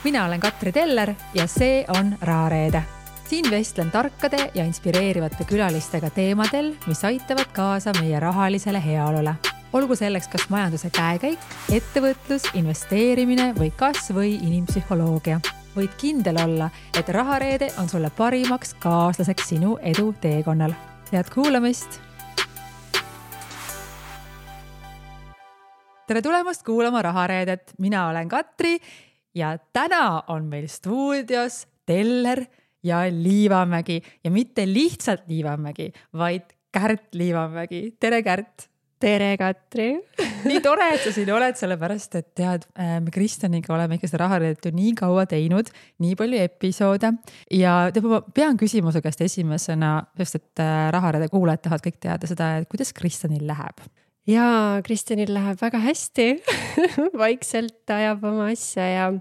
Mina olen Katri Teller ja see on Rahareede. Siin vestlen tarkade ja inspireerivate külalistega teemadel, mis aitavad kaasa meie rahalisele heaolule. Olgu selleks kas majanduse käekäik, ettevõtlus, investeerimine või kas või inimpsühholoogia. Võid kindel olla, et Rahareede on sulle parimaks kaaslaseks sinu edu teekonnal. Head kuulamist! Tere tulemast kuulama Rahareedet. Mina olen Katri ja täna on meil stuudios Teller ja Liivamägi. Ja mitte lihtsalt Liivamägi, vaid Kärt Liivamägi. Tere, Kärt! Tere, Katri! Nii tore, et sa siin oled, sellepärast, et tead, me Kristjaniga oleme ikka seda Rahareedet ju nii kaua teinud, nii palju episoode. Ja ma pean küsimuse käest esimesena, sest et Rahareede kuulajad tahavad kõik teada seda, et kuidas Kristjanil läheb. Jaa, Kristjanil läheb väga hästi. Vaikselt ajab oma asja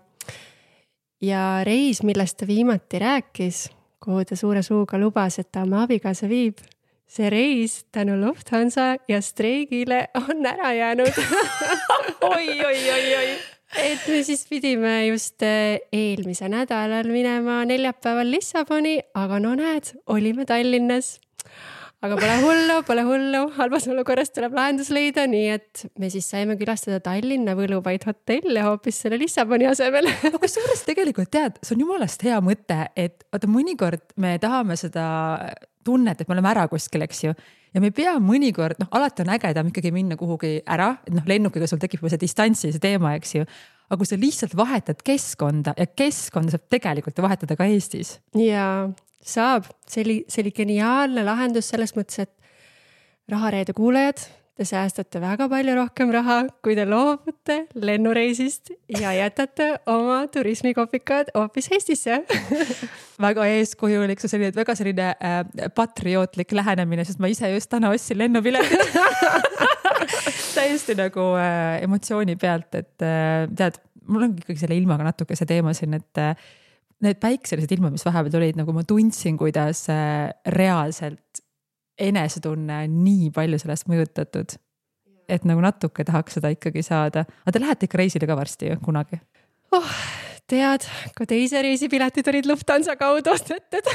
ja reis, millest ta viimati rääkis, kuhu ta suure suuga lubas, et ta oma abikaasa viib. See reis tänu Lufthansa ja streigile on ära jäänud. Oi. Et me siis pidime just eelmise nädalal minema neljapäeval Lissaboni, aga no näed, olime Tallinnas. Aga pole hullu, halvas olukorras tuleb lahendus leida, nii et me siis saime külastada Tallinna võluvaid hotelle hoopis selle Lissaboni asemel. Aga kusjuures tegelikult tead, see on jumalast hea mõte, et mõnikord me tahame seda tunnet, et me oleme ära kuskil, eks ju. Ja me pea mõnikord, alati on ägedam ikkagi minna kuhugi ära, et lennukiga sul tekib see distantsi, see teema, eks ju. Aga kui sa lihtsalt vahetad keskkonda ja keskkonda saab tegelikult vahetada ka Eestis. Jaa. Saab. See oli geniaalne lahendus selles mõttes, et Rahareede kuulajad, te säästate väga palju rohkem raha, kui te loobute lennureisist ja jätate oma turismikopikad hoopis Eestisse. Väga eeskujulik, väga selline patriootlik lähenemine, sest ma ise just täna ostsin lennupiletit. Täiesti nagu emotsiooni pealt, et tead, mul on ikkagi selle ilmaga natuke see teema siin, et need päikselised ilma, mis vahepeal olid, nagu ma tundsin, kuidas reaalselt enesetunne on nii palju sellest mõjutatud, et nagu natuke tahaks seda ikkagi saada. Aga te lähete ikka reisile ka varsti ju, kunagi? Tead, kui teise reisipiletid olid Lufthansa kaudu ostetud.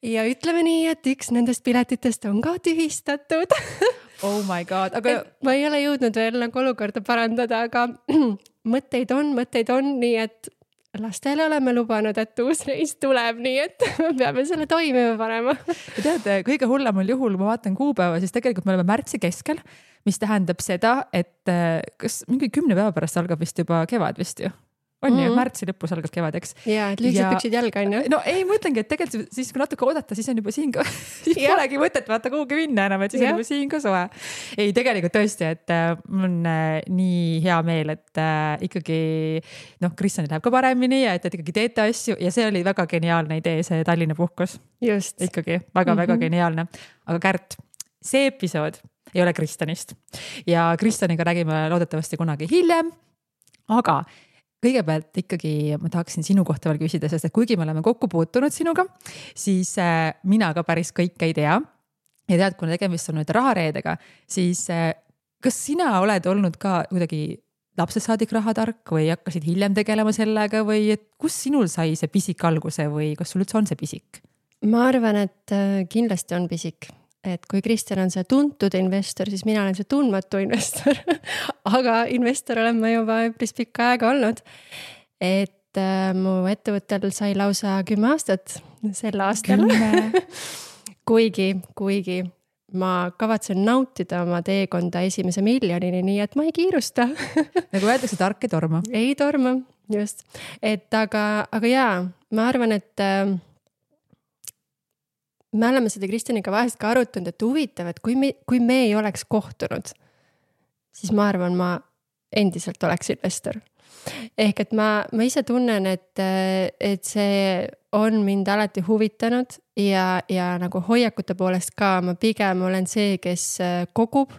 Ja ütleme nii, et üks nendest piletitest on ka tühistatud. Oh my god. Aga ma ei ole jõudnud veel nagu olukorda parandada, aga mõtteid on, nii et lastele oleme lubanud, et uus reis tuleb, nii et me peame selle toimima panema. Ja tead, kõige hullemal juhul, ma vaatan kuupäeva, siis tegelikult me oleme märtsi keskel, mis tähendab seda, et kas mingi 10 päeva pärast algab vist juba kevad vist ju? On ju, märtsi lõpus algab kevadeks. Jaa, et lühikesed püksid jalga on ju. No ei, mõtlengi, et tegelikult siis kui natuke oodata, siis on juba siin ka, siis polegi mõtet vaata kuhugi minna enam, et siis on juba siin ka soe. Ei, tegelikult tõesti, et mul on nii hea meel, et ikkagi Kristjanil läheb ka paremini ja et ikkagi teete asju ja see oli väga geniaalne idee, see Tallinna puhkus. Just. Ikkagi väga geniaalne. Aga Kärt, see episood ei ole Kristjanist ja Kristjaniga räägime loodetavasti kunagi hiljem, aga kõigepealt ikkagi ma tahaksin sinu kohta veel küsida, sest et kuigi me oleme kokku puutunud sinuga, siis mina ka päris kõike ei tea. Ja tead, kui tegemist on nüüd Rahareedega, siis kas sina oled olnud ka kuidagi lapsest saadik rahatark või hakkasid hiljem tegelema sellega või et kus sinul sai see pisik alguse või kas sul üldse on see pisik? Ma arvan, et kindlasti on pisik. Et kui Kristjan on see tuntud investor, siis mina olen see tundmatu investor. Aga investor olen ma juba üpris pikka aega olnud. Et mu ettevõttel sai lausa 10 aastat sel aastal. Kuigi ma kavatsen nautida oma teekonda esimese miljonini, nii et ma ei kiirusta. Nagu öeldakse, tark ei torma. Ei torma, just. Et aga jaa, ma arvan, et me oleme seda Kristjaniga vahest ka arutanud, et huvitav, et kui me ei oleks kohtunud, siis ma arvan, ma endiselt oleks investor. Ehk et ma ise tunnen, et see on mind alati huvitanud ja nagu hoiakute poolest ka ma pigem olen see, kes kogub.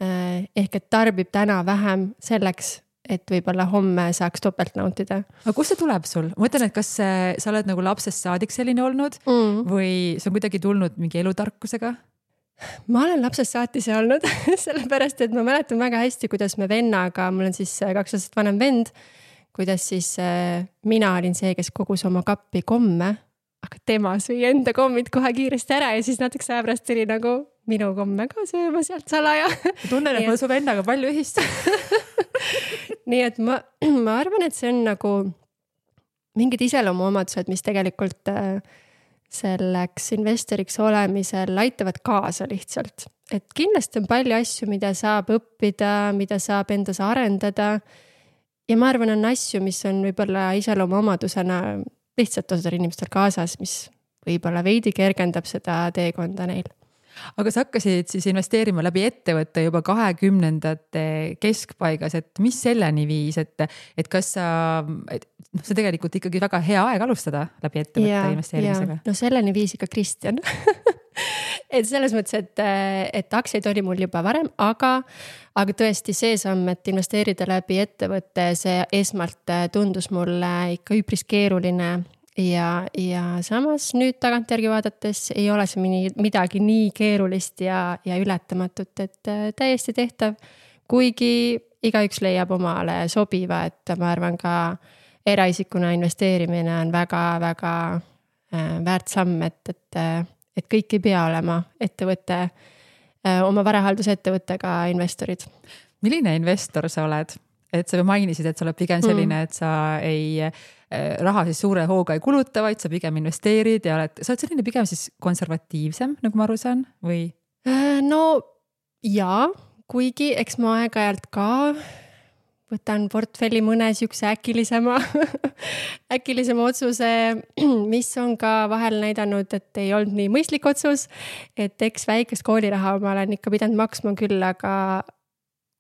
Ehk et tarbib täna vähem selleks, et võib-olla homme saaks topelt nautida. Aga kust see tuleb sul? Ma mõtlen, et kas sa oled nagu lapsest saadik selline olnud või see on kuidagi tulnud mingi elutarkusega? Ma olen lapsest saati see olnud, sellepärast, et ma mäletan väga hästi, kuidas me vennaga, mul on siis 2 aastat vanem vend, kuidas siis mina olin see, kes kogus oma kappi komme, aga tema sõi enda kommid kohe kiiresti ära ja siis natukese aja pärast tuli nagu minu komme ka sööma sealt salaja. Tunnen, et mul su vennaga palju ühist. Nii et ma arvan, et see on nagu mingid iseloomuomadused, mis tegelikult selleks investoriks olemisel aitavad kaasa lihtsalt. Et kindlasti on palju asju, mida saab õppida, mida saab endas arendada. Ja ma arvan, on asju, mis on võib-olla iseloomuomadusena lihtsalt osadel inimestel kaasas, mis võib-olla veidi kergendab seda teekonda neil. Aga sa hakkasid siis investeerima läbi ettevõtte juba 20. keskpaigas, et mis selleni viis, et kas see tegelikult ikkagi väga hea aeg alustada läbi ettevõtte investeerimisega? No selleni viis ikka Kristjan. Et selles mõttes, et aktsiaid oli mul juba varem, aga tõesti see samm, et investeerida läbi ettevõtte, see esmalt tundus mulle ikka üpris keeruline ja samas nüüd tagantjärgi vaadates ei ole see midagi nii keerulist ja ületamatut, et täiesti tehtav, kuigi igaüks leiab omale sobiva, et ma arvan ka eraisikuna investeerimine on väga-väga väärt samm, et kõik ei pea olema ettevõtte, oma varahaldusettevõttega investorid. Milline investor sa oled? Et sa mainisid, et sa oled pigem selline, et sa ei raha siis suure hooga ei kuluta, vaid sa pigem investeerid ja sa oled selline pigem siis konservatiivsem, nagu ma aru saan, või? No jaa, kuigi eks ma aeg-ajalt ka võtan portfelli mõne sükse äkilisema otsuse, mis on ka vahel näidanud, et ei olnud nii mõistlik otsus, et eks väikest kooliraha ma olen ikka pidanud maksma küll, aga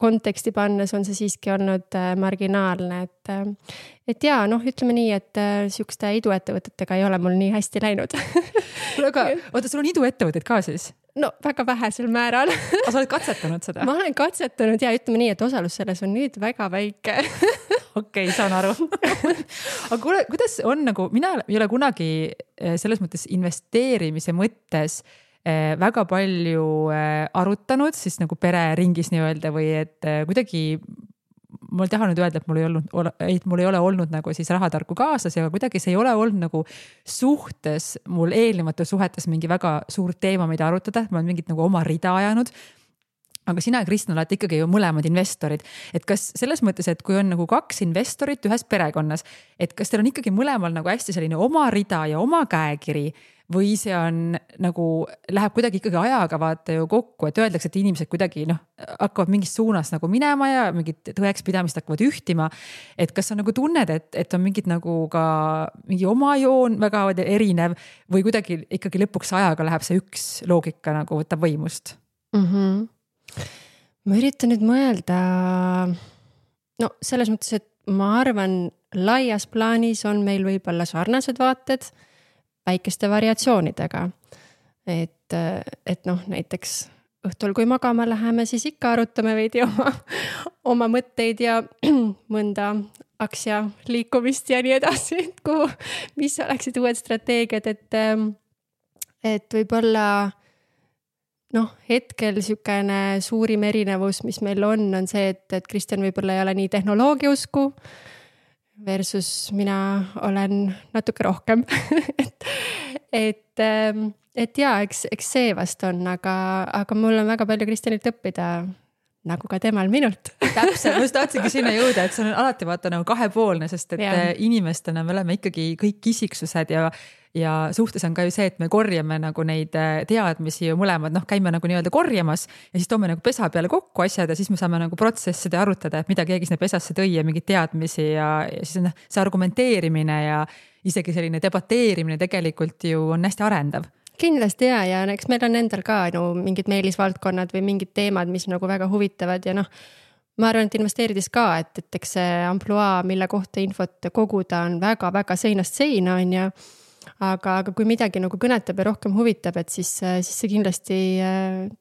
konteksti pannes on see siiski olnud marginaalne, et jaa, ütleme nii, et sükste iduettevõtetega ei ole mul nii hästi läinud. Aga oota, sul on iduettevõtted ka siis? No väga vähesel määral. Aga sa oled katsetanud seda? Ma olen katsetanud ja ütleme nii, et osalus selles on nüüd väga väike. Okei, saan aru. Aga kuule, kuidas on nagu, mina ei ole kunagi selles mõttes investeerimise mõttes väga palju arutanud, siis nagu pereringis nii öelda või et kuidagi ma tahan nüüd öelda, et mul ei ole olnud nagu siis rahatarku kaasas ja kuidagi see ei ole olnud nagu suhtes, mul eelnevates suhetes mingi väga suur teema, mida arutada, ma olen mingit nagu oma rida ajanud. Aga sina ja Kristjan olete ikkagi ju mõlemad investorid, et kas selles mõttes, et kui on nagu 2 investorit ühes perekonnas, et kas teil on ikkagi mõlemal nagu hästi selline oma rida ja oma käekiri või see on nagu, läheb kuidagi ikkagi ajaga vaata ju kokku, et öeldakse, et inimesed kuidagi hakkavad mingis suunas nagu minema ja mingid tõekspidamist hakkavad ühtima. Et kas sa nagu tunned, et on mingid nagu ka mingi oma joon väga erinev või kuidagi ikkagi lõpuks ajaga läheb see üks loogika nagu võtab võimust? Ma üritan nüüd mõelda, selles mõttes, et ma arvan, laias plaanis on meil võib-olla sarnased vaated väikeste variatsioonidega. Et näiteks õhtul, kui magama läheme, siis ikka arutame veidi oma mõtteid ja mõnda aktsia liikumist ja nii edasi, mis oleksid uued strateegiad, et võib-olla hetkel sükene suurim erinevus, mis meil on see, et Kristjan võib-olla ei ole nii tehnoloogiausku versus mina olen natuke rohkem. et jaa, eks see vast on, aga mul on väga palju Kristjanilt õppida, nagu ka temal minult. Täpselt, ma just tahtsingi sinna jõuda, et see on alati vaata nagu kahepoolne, sest et inimestena me oleme ikkagi kõik isiksused ja suhtes on ka ju see, et me korjame nagu neid teadmisi ju mõlemad, käime nagu nii-öelda korjamas ja siis toome nagu pesa peale kokku asjad ja siis me saame nagu protsessida ja arutada, et mida keegi sinna pesasse tõi ja mingid teadmisi ja siis on see argumenteerimine ja isegi selline debateerimine tegelikult ju on hästi arendav. Kindlasti ja eks meil on endal ka mingid meelisvaldkonnad või mingid teemad, mis nagu väga huvitavad ja ma arvan, et investeerides ka, et eks see ampluaa, mille kohta infot koguda on väga-väga seinast seina on ja aga kui midagi nagu kõnetab ja rohkem huvitab, et siis see kindlasti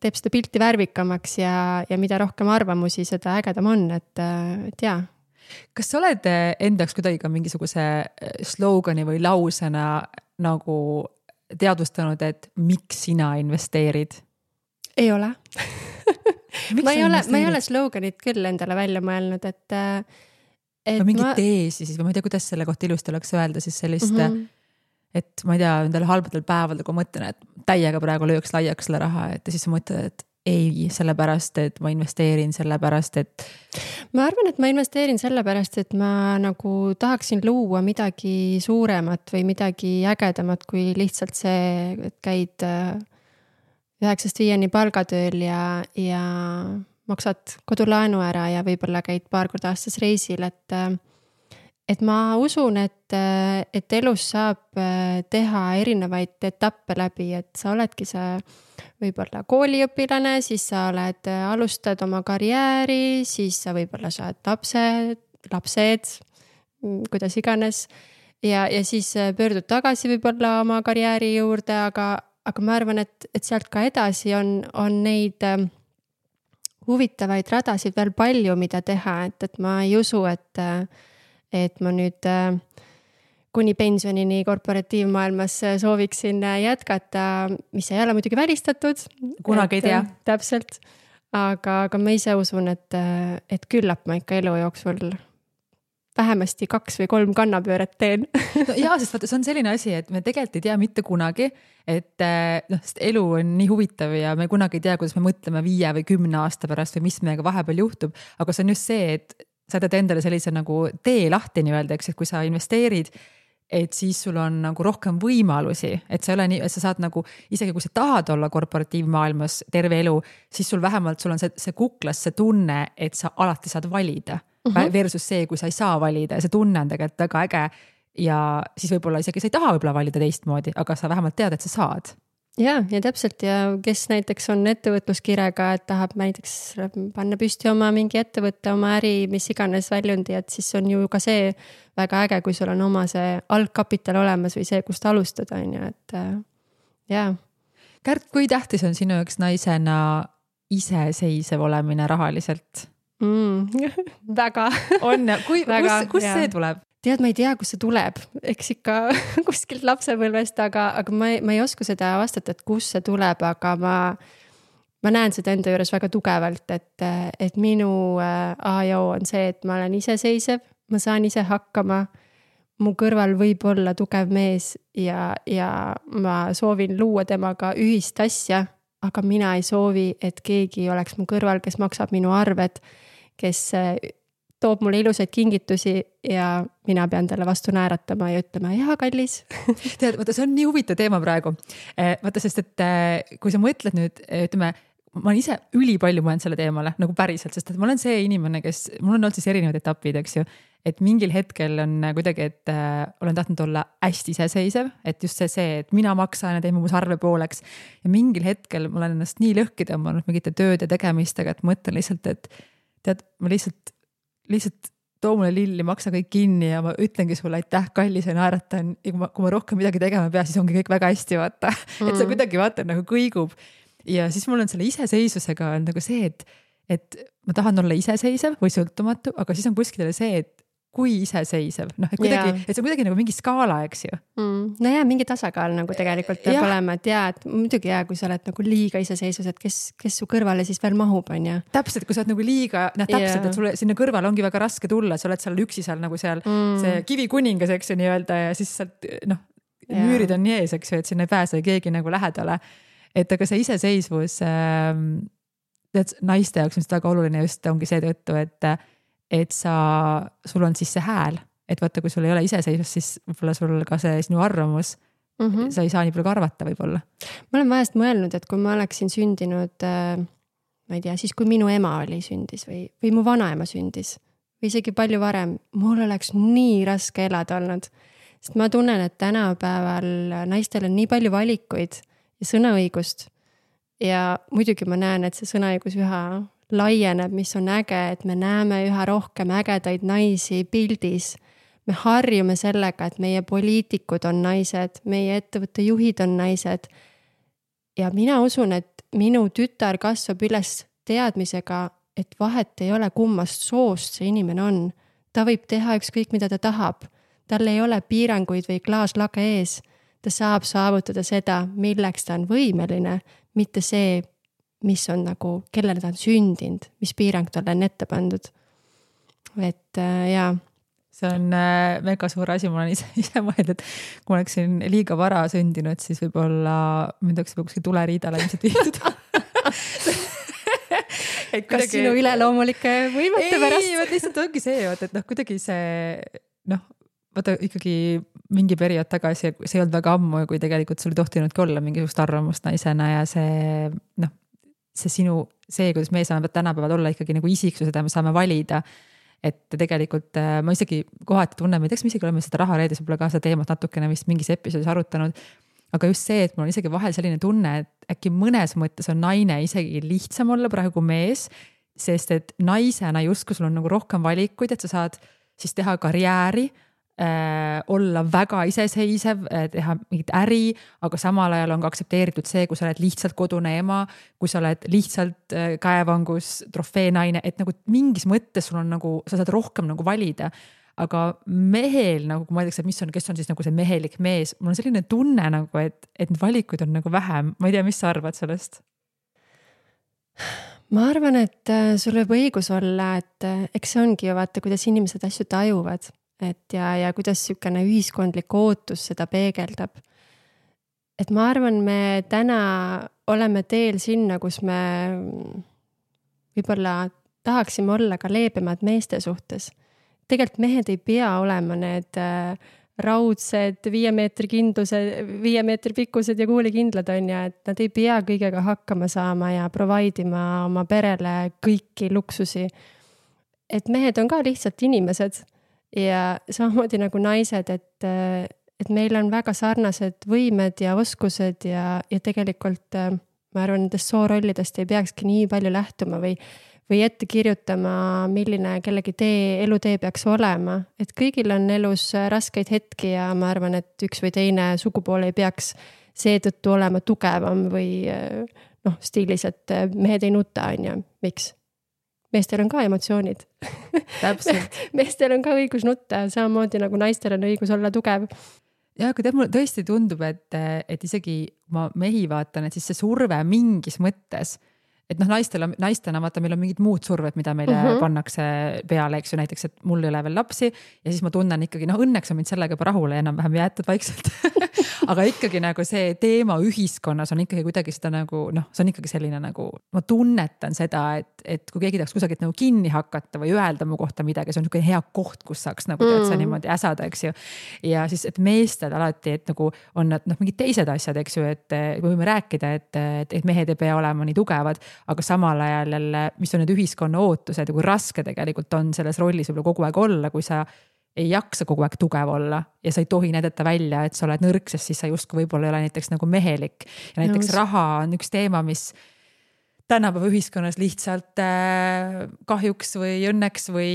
teeb seda pilti värvikamaks ja mida rohkem arvamusi, seda ägedam on, et jaa. Kas sa oled endaks kuidagi ka mingisuguse slogani või lausena nagu teadvustanud, et miks sina investeerid? Ei ole. ma ei ole sloganit küll endale välja mõelnud, või mingit teesi siis või ma ei tea, kuidas selle kohta ilusti oleks öelda siis sellist et ma ei tea, nendel halbadel päevadel, kui ma mõtlen, et täiega praegu lööks laiaks selle raha, et siis sa mõtled, et ei, sellepärast, et ma investeerin, sellepärast, et ma arvan, et ma investeerin sellepärast, et ma nagu tahaksin luua midagi suuremat või midagi ägedamat kui lihtsalt see, et käid 9-5 palgatööl ja maksad kodulaenu ära ja võib-olla käid paar korda aastas reisil, et ma usun, et elus saab teha erinevaid etappe läbi, et sa oledki see võib-olla kooliõpilane, siis sa alustad oma karjääri, siis sa võib-olla saad lapsed, kuidas iganes. Ja siis pöördud tagasi võib-olla oma karjääri juurde, aga ma arvan, et sealt ka edasi on neid huvitavaid radasid veel palju, mida teha, et ma ei usu, et ma nüüd kuni pensionini korporatiivmaailmas sooviksin jätkata, mis ei ole muidugi välistatud. Kunagi ei tea. Täpselt. Aga ma ise usun, et küllap ma ikka elu jooksul vähemasti 2 või 3 kannapööret teen. No jaa, sest vaata, see on selline asi, et me tegelikult ei tea mitte kunagi, et sest elu on nii huvitav ja me kunagi ei tea, kuidas me mõtleme 5 või 10 aasta pärast või mis meiega vahepeal juhtub. Aga see on just see, et sa teed endale sellise nagu tee lahti nii-öelda, eks, et kui sa investeerid, et siis sul on nagu rohkem võimalusi, et sa ei ole nii, et sa saad nagu, isegi kui sa tahad olla korporatiivmaailmas terve elu, siis sul vähemalt sul on see kuklas see tunne, et sa alati saad valida versus see, kui sa ei saa valida ja see tunne on tegelikult väga äge ja siis võib-olla isegi sa ei taha võib-olla valida teistmoodi, aga sa vähemalt tead, et sa saad. Ja täpselt ja kes näiteks on ettevõtluskirega, et tahab näiteks panna püsti oma mingi ettevõtte, oma äri, mis iganes väljundi, et siis on ju ka see väga äge, kui sul on oma see algkapital olemas või see, kust alustada, on ju, et jaa. Kärt, kui tähtis on sinu üks naisena iseseisev olemine rahaliselt? Väga. On, kus see tuleb? Tead, ma ei tea, kus see tuleb, eks ikka kuskilt lapsepõlvest, aga ma ei oska seda vastata, et kus see tuleb, aga ma näen seda enda juures väga tugevalt, et minu A-jo on see, et ma olen iseseisev, ma saan ise hakkama, mu kõrval võib olla tugev mees ja ma soovin luua temaga ühist asja, aga mina ei soovi, et keegi oleks mu kõrval, kes maksab minu arved, kes toob mulle ilusaid kingitusi ja mina pean talle vastu naeratama ja ütlema, jaa, kallis. Tead, vaata, see on nii huvitav teema praegu. Vaata, sest et kui sa mõtled nüüd, ütleme, ma olen ise ülipalju mõelnud selle teemale, nagu päriselt, sest et ma olen see inimene, mul on olnud siis erinevad etapid, eks ju, et mingil hetkel on kuidagi, et olen tahtnud olla hästi iseseisev, et just see, et mina maksan ja teeme mu sarve pooleks ja mingil hetkel ma olen ennast nii lõhki tõmmanud mingite tööd ja tegemistega, et mõtlen lihtsalt, et tead, ma lihtsalt too mulle lilli, maksa kõik kinni ja ma ütlengi sulle aitäh, kallis ja naeratan ja kui ma rohkem midagi tegema pea, siis ongi kõik väga hästi, vaata. Et see kuidagi vaata nagu kõigub. Ja siis mul on selle iseseisusega on nagu see, et ma tahan olla iseseisev või sõltumatu, aga siis on kuskil see, et kui iseseisev, noh, et kuidagi, et see on kuidagi nagu mingi skaala, eks ju. No jaa, mingi tasakaal nagu tegelikult peab olema, et jaa, et muidugi jaa, kui sa oled nagu liiga iseseisus, et kes su kõrvale siis veel mahub, on ju. Täpselt, kui sa oled nagu liiga, täpselt, et sulle sinna kõrvale ongi väga raske tulla, sa oled seal üksi seal nagu seal see kivikuningas, eks ju nii-öelda ja siis sealt, noh, müürid on nii ees, eks ju, et sinna ei pääse keegi nagu lähedale. Et aga see iseseisvus naiste jaoks on seda väga oluline just ongi seetõttu, et sul on siis see hääl, et vaata, kui sul ei ole iseseisvust, siis võib-olla sul ka see sinu arvamus, sa ei saa nii palju ka arvata võib-olla. Ma olen vahest mõelnud, et kui ma oleksin sündinud, ma ei tea, siis kui minu ema sündis või mu vanaema sündis või isegi palju varem, mul oleks nii raske elada olnud, sest ma tunnen, et tänapäeval naistel on nii palju valikuid ja sõnaõigust ja muidugi ma näen, et see sõnaõigus üha laieneb, mis on äge, et me näeme üha rohkem ägedaid naisi pildis. Me harjume sellega, et meie poliitikud on naised, meie ettevõtte juhid on naised. Ja mina usun, et minu tütar kasvab üles teadmisega, et vahet ei ole kummast soost see inimene on. Ta võib teha ükskõik, mida ta tahab. Tal ei ole piiranguid või klaaslage ees. Ta saab saavutada seda, milleks ta on võimeline, mitte see, mis on nagu, kellele ta on sündinud, mis piirang talle on ette pandud. Et jaa, see on mega suur asi, ma olen ise mõelnud, et kui ma oleksin liiga vara sündinud, siis võib-olla mind oleks kuskil tuleriidale ilmselt viidud. Kas sinu üleloomulike võimete pärast? Ei, lihtsalt ongi see, et noh, kuidagi see, noh, vaata ikkagi mingi periood tagasi, see ei olnud väga ammu, kui tegelikult sul ei tohtinudki olla mingisugust arvamust naisena ja see, noh, see, kuidas me saame tänapäeval olla ikkagi nagu isiksused ja me saame valida, et tegelikult ma isegi kohati tunnen, ma ei tea, me isegi oleme seda rahareedis võib-olla ka seda teemat natukene vist mingis episoodis arutanud, aga just see, et mul on isegi vahel selline tunne, et äkki mõnes mõttes on naine isegi lihtsam olla praegu kui mees, sest et naisena justkui sul on nagu rohkem valikuid, et sa saad siis teha karjääri, olla väga iseseisev, teha mingit äri, aga samal ajal on ka aktsepteeritud see, kui sa oled lihtsalt kodune ema, kui sa oled lihtsalt käevangus trofeenaine, et nagu mingis mõttes sul on nagu, sa saad rohkem nagu valida. Aga mehel nagu, kui ma ütleks, et kes on siis nagu see mehelik mees, mul on selline tunne nagu, et valikuid on nagu vähem. Ma ei tea, mis sa arvad sellest? Ma arvan, et sul võib õigus olla, et eks see ongi ju vaata, kuidas inimesed asju tajuvad. Et ja kuidas sükene ühiskondlik ootus seda peegeldab. Et ma arvan, me täna oleme teel sinna, kus me võib-olla tahaksime olla ka leebemad meeste suhtes. Tegelikult mehed ei pea olema need raudsed 5 meetri pikkused ja kuulikindlad on ja, et nad ei pea kõigega hakkama saama ja providima oma perele kõiki luksusi. Et mehed on ka lihtsalt inimesed. Ja samamoodi nagu naised, et meil on väga sarnased võimed ja oskused ja tegelikult ma arvan, nendest soorollidest ei peakski nii palju lähtuma või ette kirjutama, milline kellegi elutee peaks olema. Et kõigil on elus raskeid hetki ja ma arvan, et üks või teine sugupool ei peaks seetõttu olema tugevam või stiilis, et mehed ei nuta, on ju, miks? Meestel on ka emotsioonid. Täpselt. Meestel on ka õigus nutta, samamoodi nagu naistel on õigus olla tugev. Ja kui mulle tõesti tundub, et isegi ma mehi vaatan, et siis see surve mingis mõttes, et noh, naistena vaata, meil on mingid muud surved, mida meile pannakse peale, eks ju, näiteks, et mul ei ole veel lapsi ja siis ma tunnen ikkagi, õnneks on mind sellega juba rahule enam-vähem jäetud vaikselt. Aga ikkagi nagu see teema ühiskonnas on ikkagi kuidagi seda nagu, see on ikkagi selline nagu, ma tunnetan seda, et kui keegi tahaks kusagilt nagu kinni hakata või öelda mu kohta midagi, see on niisugune hea koht, kus saaks nagu tead sa niimoodi äsada, eks ju. Ja siis, et meestel alati, et nagu on nad mingid teised asjad, eks ju, et võime rääkida, et mehed ei pea olema nii tugevad, aga samal ajal jälle, mis on need ühiskonna ootused ja kui raske tegelikult on selles rollis võib-olla kogu aeg olla, kui sa ei jaksa kogu aeg tugev olla ja sa ei tohi näidata välja, et sa oled nõrk, sest siis sa justkui võib-olla ei ole näiteks nagu mehelik. Ja näiteks raha on üks teema, mis tänapäeva ühiskonnas lihtsalt kahjuks või õnneks või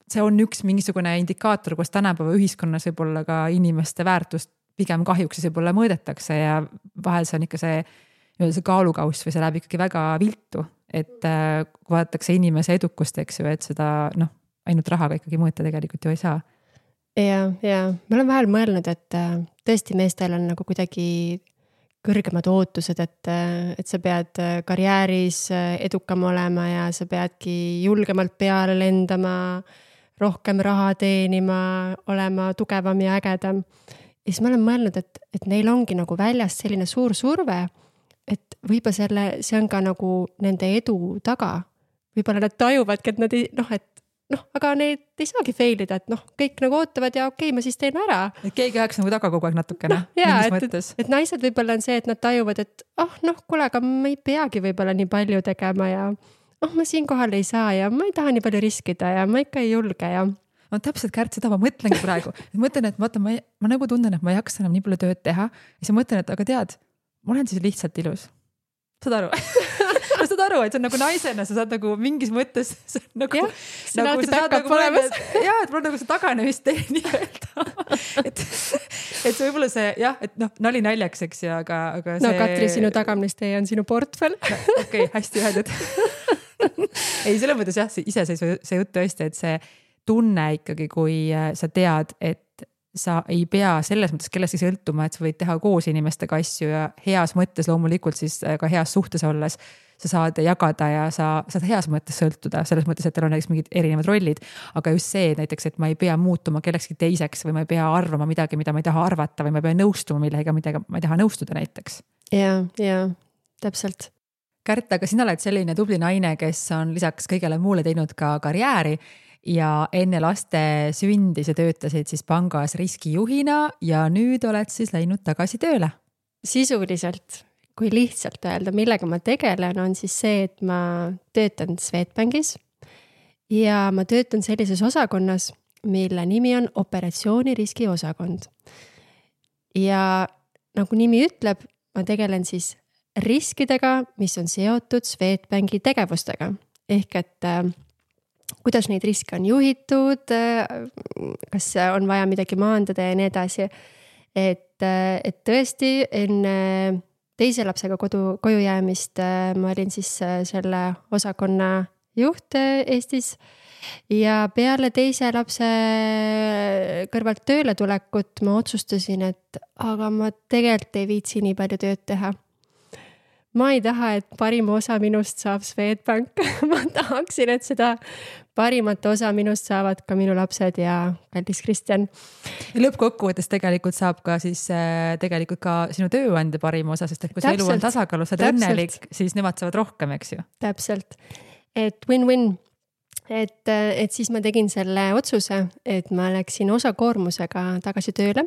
see on üks mingisugune indikaator, kus tänapäeva ühiskonnas võib-olla ka inimeste väärtust pigem kahjuks võib-olla mõõdetakse ja vahel see on ikka see kaalukauss või see läheb ikkagi väga viltu, et kui vaadatakse inimese edukust, eks ju, et seda ainult rahaga ikkagi mõõta tegelikult ju ei saa. Ja ma olen vahel mõelnud, et tõesti meestel on nagu kuidagi kõrgemad ootused, et sa pead karjääris edukam olema ja sa peadki julgemalt peale lendama, rohkem raha teenima, olema tugevam ja ägedam. Ja siis ma olen mõelnud, et neil ongi nagu väljas selline suur surve, et võib-olla see on ka nagu nende edu taga. Võib-olla nad tajuvadki, et nad ei, aga need ei saagi failida, et kõik nagu ootavad ja okei, ma siis teen ära. Et keegi ajaks nagu taga kogu aeg natukene. Et naised võib-olla on see, et nad tajuvad, et kuule, aga ma ei peagi võib-olla nii palju tegema ja ma siin kohal ei saa ja ma ei taha nii palju riskida ja ma ikka ei julge ja... No täpselt, Kärt, seda ma mõtlengi praegu. Mõtlen, et ma nagu tunnen, et ma ei jaksa enam nii palju tööd teha. Ja siis mõtlen, et aga tead, ma olen siis lihtsalt ilus. Saad aru? Saad aru, et see on nagu naisena, sa saad nagu mingis mõttes nagu, see on alati back-up olemas. Jaa, et mul on nagu see taganemist tee nii öelda. Et see võib-olla see, jah, et nali naljaks, eks ju, aga see... No Katri, sinu taganemist tee on sinu portfell. Okei, hästi öeldud. Ei, selle mõttes jah, ise see jutt tõesti, et see tunne ikkagi, kui sa tead, et sa ei pea selles mõttes kellestki sõltuma, et sa võid teha koos inimestega asju ja heas mõttes loomulikult siis ka heas suhtes olles. sa saad jagada ja sa saad heas mõttes sõltuda, selles mõttes, et teil on näiteks mingid erinevad rollid, aga just see näiteks, et ma ei pea muutuma kellekski teiseks või ma ei pea arvama midagi, mida ma ei taha arvata või ma ei pea nõustuma millega ma ei taha nõustuda näiteks. Ja, täpselt. Kärt, aga sina oled selline tubli naine, kes on lisaks kõigele muule teinud ka karjääri ja enne laste sündi sa töötasid siis pangas riskijuhina ja nüüd oled siis läinud tagasi tööle. Sisuliselt, kui lihtsalt öelda, millega ma tegelen, on siis see, et ma töötan Swedbankis ja ma töötan sellises osakonnas, mille nimi on operatsiooniriski osakond. Ja nagu nimi ütleb, ma tegelen siis riskidega, mis on seotud Swedbanki tegevustega. Ehk et kuidas neid riske on juhitud, kas on vaja midagi maandada ja nii edasi. Et tõesti enne teise lapsega koju jäämist ma olin siis selle osakonna juht Eestis ja peale teise lapse kõrvalt tööle tulekut ma otsustasin, et aga ma tegelikult ei viitsi nii palju tööd teha. Ma ei taha, et parim osa minust saab Swedbank. Ma tahaksin, et seda parimat osa minust saavad ka minu lapsed ja kallis Kristjan. Lõppkokkuvõttes tegelikult saab ka siis tegelikult ka sinu tööandja parim osa, sest et kui see elu on tasakaalus ja õnnelik, siis nemad saavad rohkem, eks ju. Täpselt. Et win-win. Et siis ma tegin selle otsuse, et ma läksin osakoormusega tagasi tööle.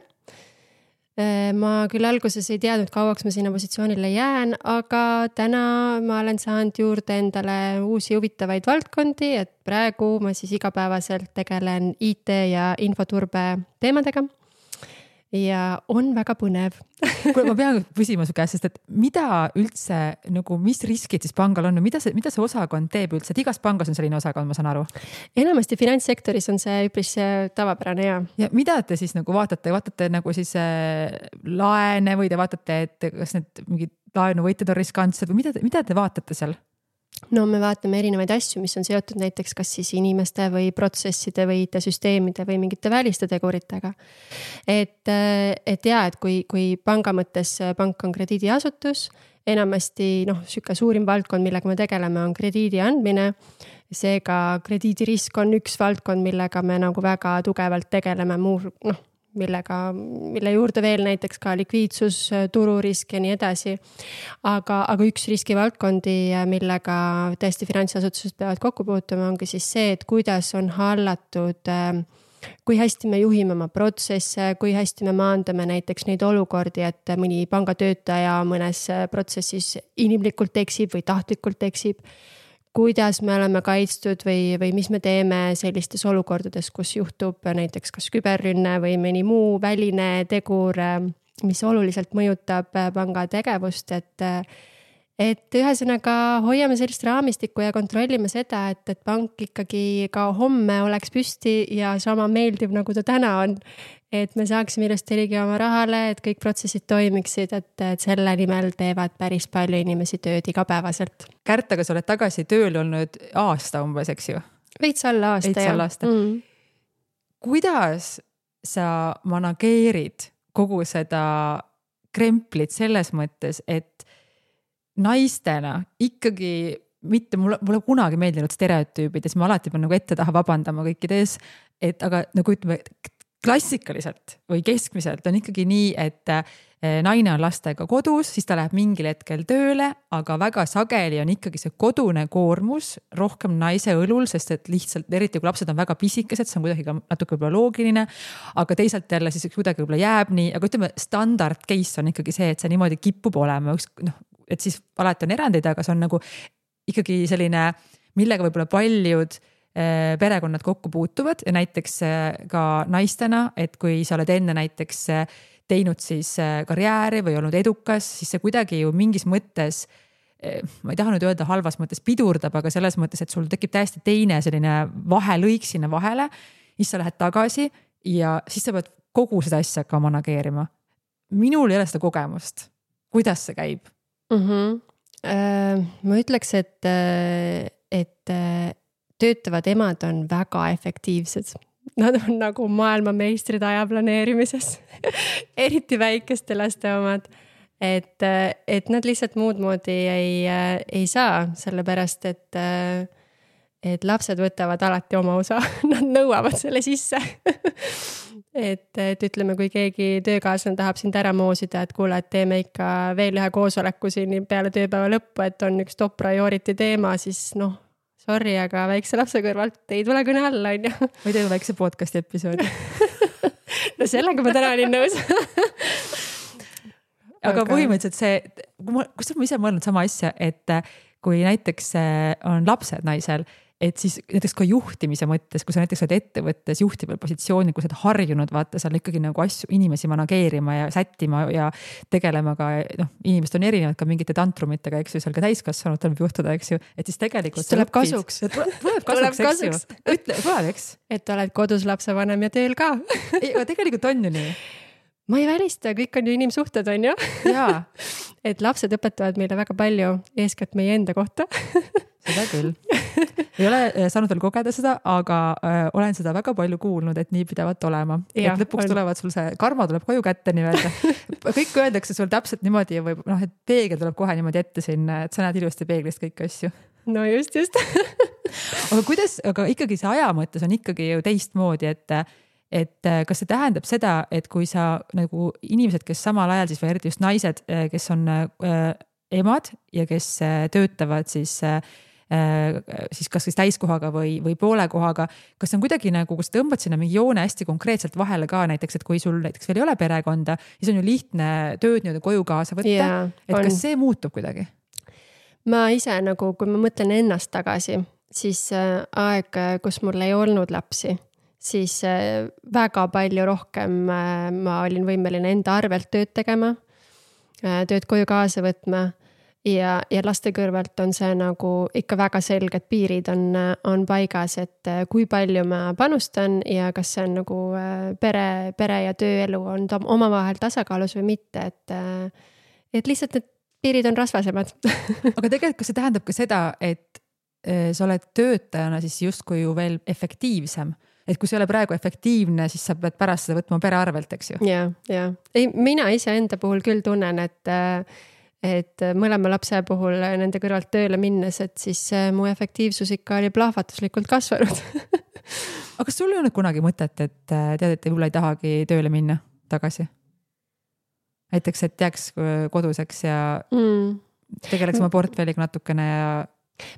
Ma küll alguses ei teadnud, kauaks ma sinna positsioonile jään, aga täna ma olen saanud juurde endale uusi huvitavaid valdkondi, et praegu ma siis igapäevaselt tegelen IT ja infoturbe teemadega ja on väga põnev. Kuule, ma pean küsima su käest, sest et mida üldse, nagu, mis riskid siis pangal on, mida see osakond teeb üldse, et igas pangas on selline osakond, ma saan aru? Enamasti finantssektoris on see üpris tavapärane ja mida te siis nagu vaatate nagu siis laene või te vaatate, et kas need mingid laenuvõitjad on riskantsed või mida te vaatate seal? No me vaatame erinevaid asju, mis on seotud näiteks kas siis inimeste või protsesside või IT-süsteemide või mingite väliste teguritega. Et kui panga mõttes pank on krediidiasutus, enamasti süke suurim valdkond, millega me tegeleme, on krediidi andmine. Seega krediidirisk on üks valdkond, millega me nagu väga tugevalt tegeleme mille juurde veel näiteks ka likviidsus, tururisk ja nii edasi. Aga üks riskivaldkondi, millega tõesti finantsasutused peavad kokku puutuma, ongi siis see, et kuidas on hallatud, kui hästi me juhime oma protsesse, kui hästi me maandame näiteks neid olukordi, et mõni pangatöötaja mõnes protsessis inimlikult eksib või tahtlikult eksib. Kuidas me oleme kaitstud või mis me teeme sellistes olukordades, kus juhtub näiteks kas küberrünne või mõni muu väline tegur, mis oluliselt mõjutab panga tegevust, et ühesõnaga hoiame sellist raamistikku ja kontrollime seda, et pank ikkagi ka homme oleks püsti ja sama meeldiv, nagu ta täna on. Et me saaksime ilusti ligi oma rahale, et kõik protsessid toimiksid, et selle nimel teevad päris palju inimesi tööd igapäevaselt. Kärt, aga sa oled tagasi tööl olnud aasta umbes, eks ju? Veits alla aasta. Kuidas sa manageerid kogu seda kremplit selles mõttes, et naistena ikkagi mitte, mulle kunagi meeldinud stereotüübides, ma alati pean nagu ette taha vabandama kõikides, et aga nagu ütleme, klassikaliselt või keskmiselt on ikkagi nii, et naine on lastega kodus, siis ta läheb mingil hetkel tööle, aga väga sageli on ikkagi see kodune koormus rohkem naise õlul, sest et lihtsalt, eriti kui lapsed on väga pisikesed, see on kuidagi ka natuke võib-olla loogiline, aga teisalt jälle siis kuidagi võib-olla jääb nii, aga ütleme, standard case on ikkagi see, et see niimoodi kipub olema, et siis alati on erandeid, aga see on nagu ikkagi selline, millega võib-olla paljud perekonnad kokku puutuvad ja näiteks ka naistena, et kui sa oled enne näiteks teinud siis karjääri või olnud edukas, siis see kuidagi ju mingis mõttes, ma ei taha nüüd öelda halvas mõttes pidurdab, aga selles mõttes, et sul tekib täiesti teine selline vahelõik sinna vahele, siis sa lähed tagasi ja siis sa pead kogu seda asja ka manageerima. Minul ei ole seda kogemust. Kuidas see käib? Ma ütleks, et töötavad emad on väga efektiivsed. Nad on nagu maailmameistrid aja planeerimises. Eriti väikeste laste omad. et nad lihtsalt muud moodi ei saa, sellepärast et lapsed võtavad alati oma osa, nad nõuavad selle sisse. et ütleme, kui keegi töökaaslane tahab sind ära moosida, et kuule, et teeme ikka veel ühe koosoleku siin peale tööpäeva lõppu, et on üks top priority teema, siis noh, sorry, aga väikse lapse kõrvalt ei tule kõne alla, on ju. Või teeme väikse podcasti episoodi. No sellega ma täna olin nõus. aga põhimõtteliselt see, kus ma ise mõelnud sama asja, et kui näiteks on lapsed naisel, et siis näiteks ka juhtimise mõttes, kui sa näiteks oled ettevõttes juhtival positsioonil, kui sa oled harjunud, vaata, seal ikkagi nagu asju, inimesi manageerima ja sättima ja tegelema ka, noh, inimesed on erinevad ka mingite tantrumitega, eks ju, seal ka täiskasvanud tuleb juhtuda, eks ju, et siis tegelikult siis tuleb kasuks. Tuleb kasuks, eks. Et oled kodus lapsevanem ja tööl ka. Aga tegelikult on ju nii. Ma ei välista, kõik on ju inimsuhted, on ju? Jaa. Et lapsed õpetavad meile väga palju, eeskätt meie enda kohta. Seda küll. Ei ole saanud veel kogeda seda, aga olen seda väga palju kuulnud, et nii pidavat olema. Ja, et lõpuks tulevad sul see karma tuleb koju kätte nii-öelda. Kõik öeldakse sul täpselt niimoodi või noh, et peegel tuleb kohe niimoodi ette sinna, et sa näed ilusti peeglist kõik asju. No just. aga ikkagi see aja mõttes on ikkagi ju teistmoodi, et kas see tähendab seda, et kui sa nagu inimesed, kes samal ajal siis või eriti just naised, kes on emad ja kes töötavad siis kas siis täiskohaga või poole kohaga, kas on kuidagi nagu, kus tõmbad sinna mingi joone hästi konkreetselt vahele ka näiteks, et kui sul näiteks veel ei ole perekonda, siis on ju lihtne tööd nii-öelda koju kaasa võtta, et kas see muutub kuidagi? Ma ise nagu, kui ma mõtlen ennast tagasi, siis aeg, kus mul ei olnud lapsi, siis väga palju rohkem ma olin võimeline enda arvelt tööd tegema, tööd koju kaasa võtma ja laste kõrvalt on see nagu ikka väga selged piirid on paigas, et kui palju ma panustan ja kas see on nagu pere ja tööelu on omavahel tasakaalus või mitte, et lihtsalt need piirid on rasvasemad. Aga tegelikult kas see tähendab ka seda, et sa oled töötajana siis justkui ju veel efektiivsem? Et kui see ei ole praegu efektiivne, siis sa pead pärast seda võtma pere arvelt, eks ju? Ja. Ei, mina ise enda puhul küll tunnen, et mõlema lapse puhul nende kõrvalt tööle minnes, et siis mu efektiivsus ikka oli plahvatuslikult kasvanud. Aga kas sul ei olnud kunagi mõtet, et tead, et võib-olla ei tahagi tööle minna tagasi? Näiteks, et jääks koduseks ja tegeleks oma portfelliga natukene ja...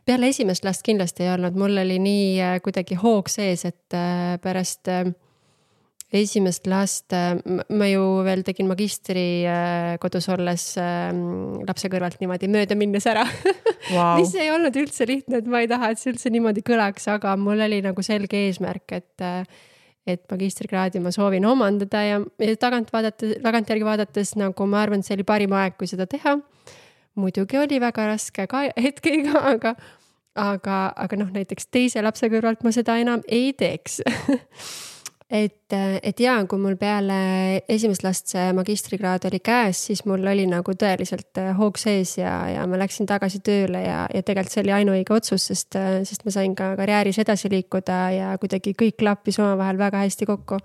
Peale esimest last kindlasti ei olnud, mul oli nii kuidagi hoog sees, et pärast esimest last ma ju veel tegin magistri kodus olles lapse kõrvalt niimoodi mööda minnes ära. Wow. Mis ei olnud üldse lihtne, et ma ei taha, et see üldse niimoodi kõlaks, aga mul oli nagu selge eesmärk, et magistrikraadi ma soovin omandada ja tagantjärgi vaadates nagu ma arvan, et see oli parim aeg, kui seda teha. Muidugi oli väga raske ka hetkega, aga noh, näiteks teise lapse kõrvalt ma seda enam ei teeks. et jaa, kui mul peale esimest last see magistrikraad oli käes, siis mul oli nagu tõeliselt hoog sees ja ma läksin tagasi tööle ja tegelikult see oli ainuõige otsus, sest ma sain ka karjääris edasi liikuda ja kuidagi kõik klappis omavahel väga hästi kokku.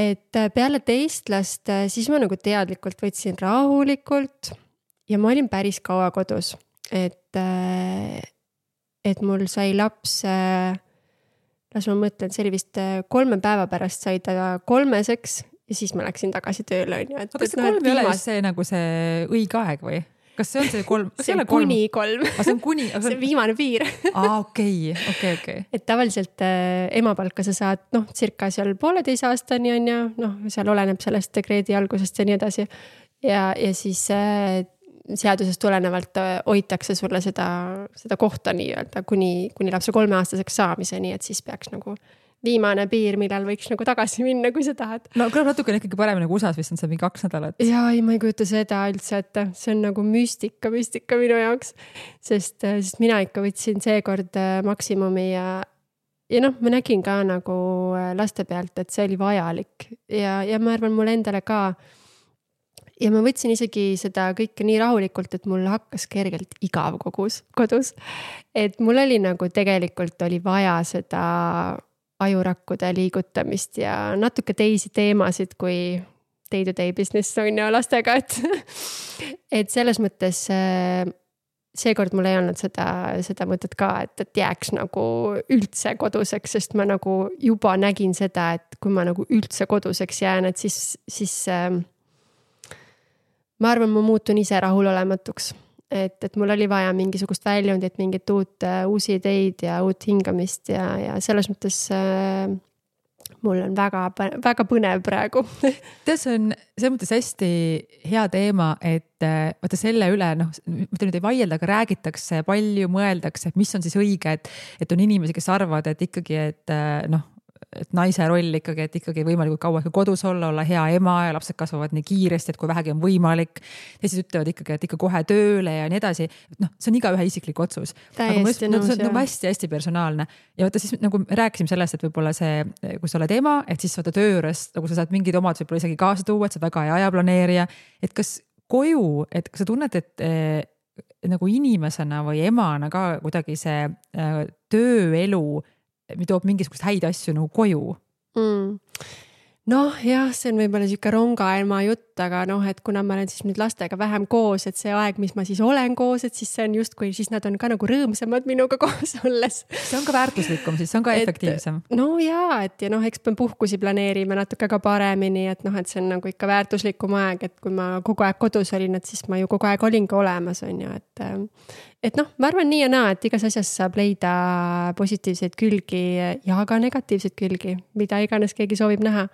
Et peale teist last, siis ma nagu teadlikult võtsin rahulikult ja ma olin päris kaua kodus, et mul sai laps, las ma mõtlen, see oli vist 3 päeva pärast sai ta 3-seks ja siis ma läksin tagasi tööle. Aga kas see 3 ei ole see nagu see õige aeg või? Kas see on see 3? See on kuni 3. See on kuni? See on viimane piir. Okei. Et tavaliselt emapalka sa saad, circa seal 1,5 aastani on ja seal oleneb sellest dekreedi algusest ja nii edasi. Ja siis seadusest tulenevalt hoitakse sulle seda kohta nii-öelda kuni lapse 3-aastaseks saamiseni, et siis peaks nagu viimane piir, millal võiks nagu tagasi minna, kui sa tahad. No kõlab natuke ikkagi parem nagu USA-s vist on see mingi 2 nädalat. Jaa, ei, ma ei kujuta seda üldse, et see on nagu müstika minu jaoks, sest mina ikka võtsin seekord maksimumi ja ma nägin ka nagu laste pealt, et see oli vajalik ja ma arvan mul endale ka. Ja ma võtsin isegi seda kõike nii rahulikult, et mul hakkas kergelt igav kodus. Et mul oli nagu tegelikult oli vaja seda ajurakkude liigutamist ja natuke teisi teemasid kui day-to-day business on ju lastega, et selles mõttes seekord mul ei olnud seda mõtet ka, et jääks nagu üldse koduseks, sest ma nagu juba nägin seda, et kui ma nagu üldse koduseks jään, et siis ma arvan, ma muutun ise rahulolematuks. Et mul oli vaja mingisugust väljundit, mingit uusi ideid ja uut hingamist ja selles mõttes mul on väga põnev praegu. See on selles mõttes hästi hea teema, et vaata selle üle, mitte nüüd ei vaielda, aga räägitakse palju, mõeldakse, et mis on siis õige, et on inimesi, kes arvavad, et ikkagi, et naise roll ikkagi, et ikkagi võimalikult kaua kodus olla hea ema ja lapsed kasvavad nii kiiresti, et kui vähegi on võimalik. Ja siis ütlevad ikkagi, et ikka kohe tööle ja nii edasi. See on iga ühe isiklik otsus. Täiesti nõus, see on hästi personaalne. Ja vaata siis nagu rääkisime sellest, et võib-olla see, kui sa oled ema, et siis vaata töö juures, nagu sa saad mingid omad võib-olla isegi kaasa tuua, et sa väga hea ajaplaneerija. Et kas koju, et kas sa tunned, et nagu inimesena või emana ka kuidagi see tööelu toob mingisugust häid asju nagu koju? Noh, jah, see on võib-olla siuke rongaema jutt, aga et kuna ma olen siis nüüd lastega vähem koos, et see aeg, mis ma siis olen koos, et siis see on justkui, siis nad on ka nagu rõõmsamad minuga koos olles. See on ka väärtuslikum, siis see on ka efektiivsem. No jaa, et ja eks me puhkusi planeerime natuke ka paremini, et see on nagu ikka väärtuslikum aeg, et kui ma kogu aeg kodus olin, et siis ma ju kogu aeg olin ka olemas, on ju, et ma arvan nii ja naa, et igas asjas saab leida positiivseid külgi ja ka negatiivseid külgi, mida iganes keegi soovib näha.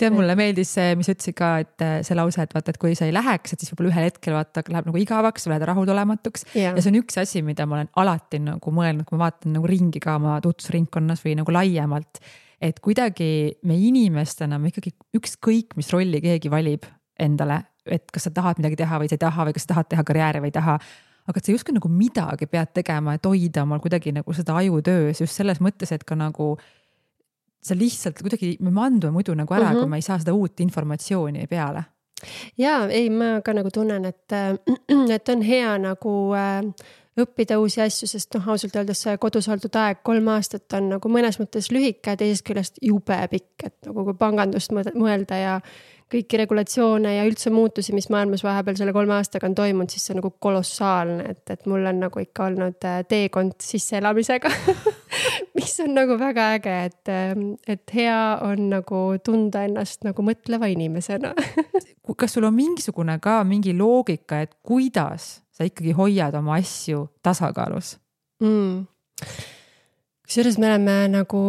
Tead, mulle meeldis see, mis ütlesid ka, et see lause, et vaata, et kui sa ei läheks, et siis võib-olla ühel hetkel vaata, läheb nagu igavaks, sa lähed rahulolematuks. Ja see on üks asi, mida ma olen alati nagu mõelnud, kui ma vaatan nagu ringi ka oma tutvusringkonnas või nagu laiemalt, et kuidagi me inimestena me ikkagi ükskõik, mis rolli keegi valib endale, et kas sa tahad midagi teha või sa ei taha või kas sa tahad teha karjääri või ei taha. Aga et sa justkui nagu midagi pead tegema, et hoida omal kuidagi nagu seda ajutöös just selles mõttes, et ka nagu sa lihtsalt kuidagi, me mandume muidu nagu ära, kui ma ei saa seda uut informatsiooni peale. Jaa, ei, ma ka nagu tunnen, et on hea nagu õppida uusi asju, sest ausalt öeldes kodus oldud aeg 3 aastat on nagu mõnes mõttes lühike, teisest küljest jube pikk, et nagu kui pangandust mõelda ja kõiki regulatsioone ja üldse muutusi, mis maailmas vahepeal selle 3 aastaga on toimunud, siis see on nagu kolossaalne, et mul on nagu ikka olnud teekond sisseelamisega, mis on nagu väga äge, et hea on nagu tunda ennast nagu mõtleva inimesena. Kas sul on mingisugune ka mingi loogika, et kuidas sa ikkagi hoiad oma asju tasakaalus? Kusjuures me oleme nagu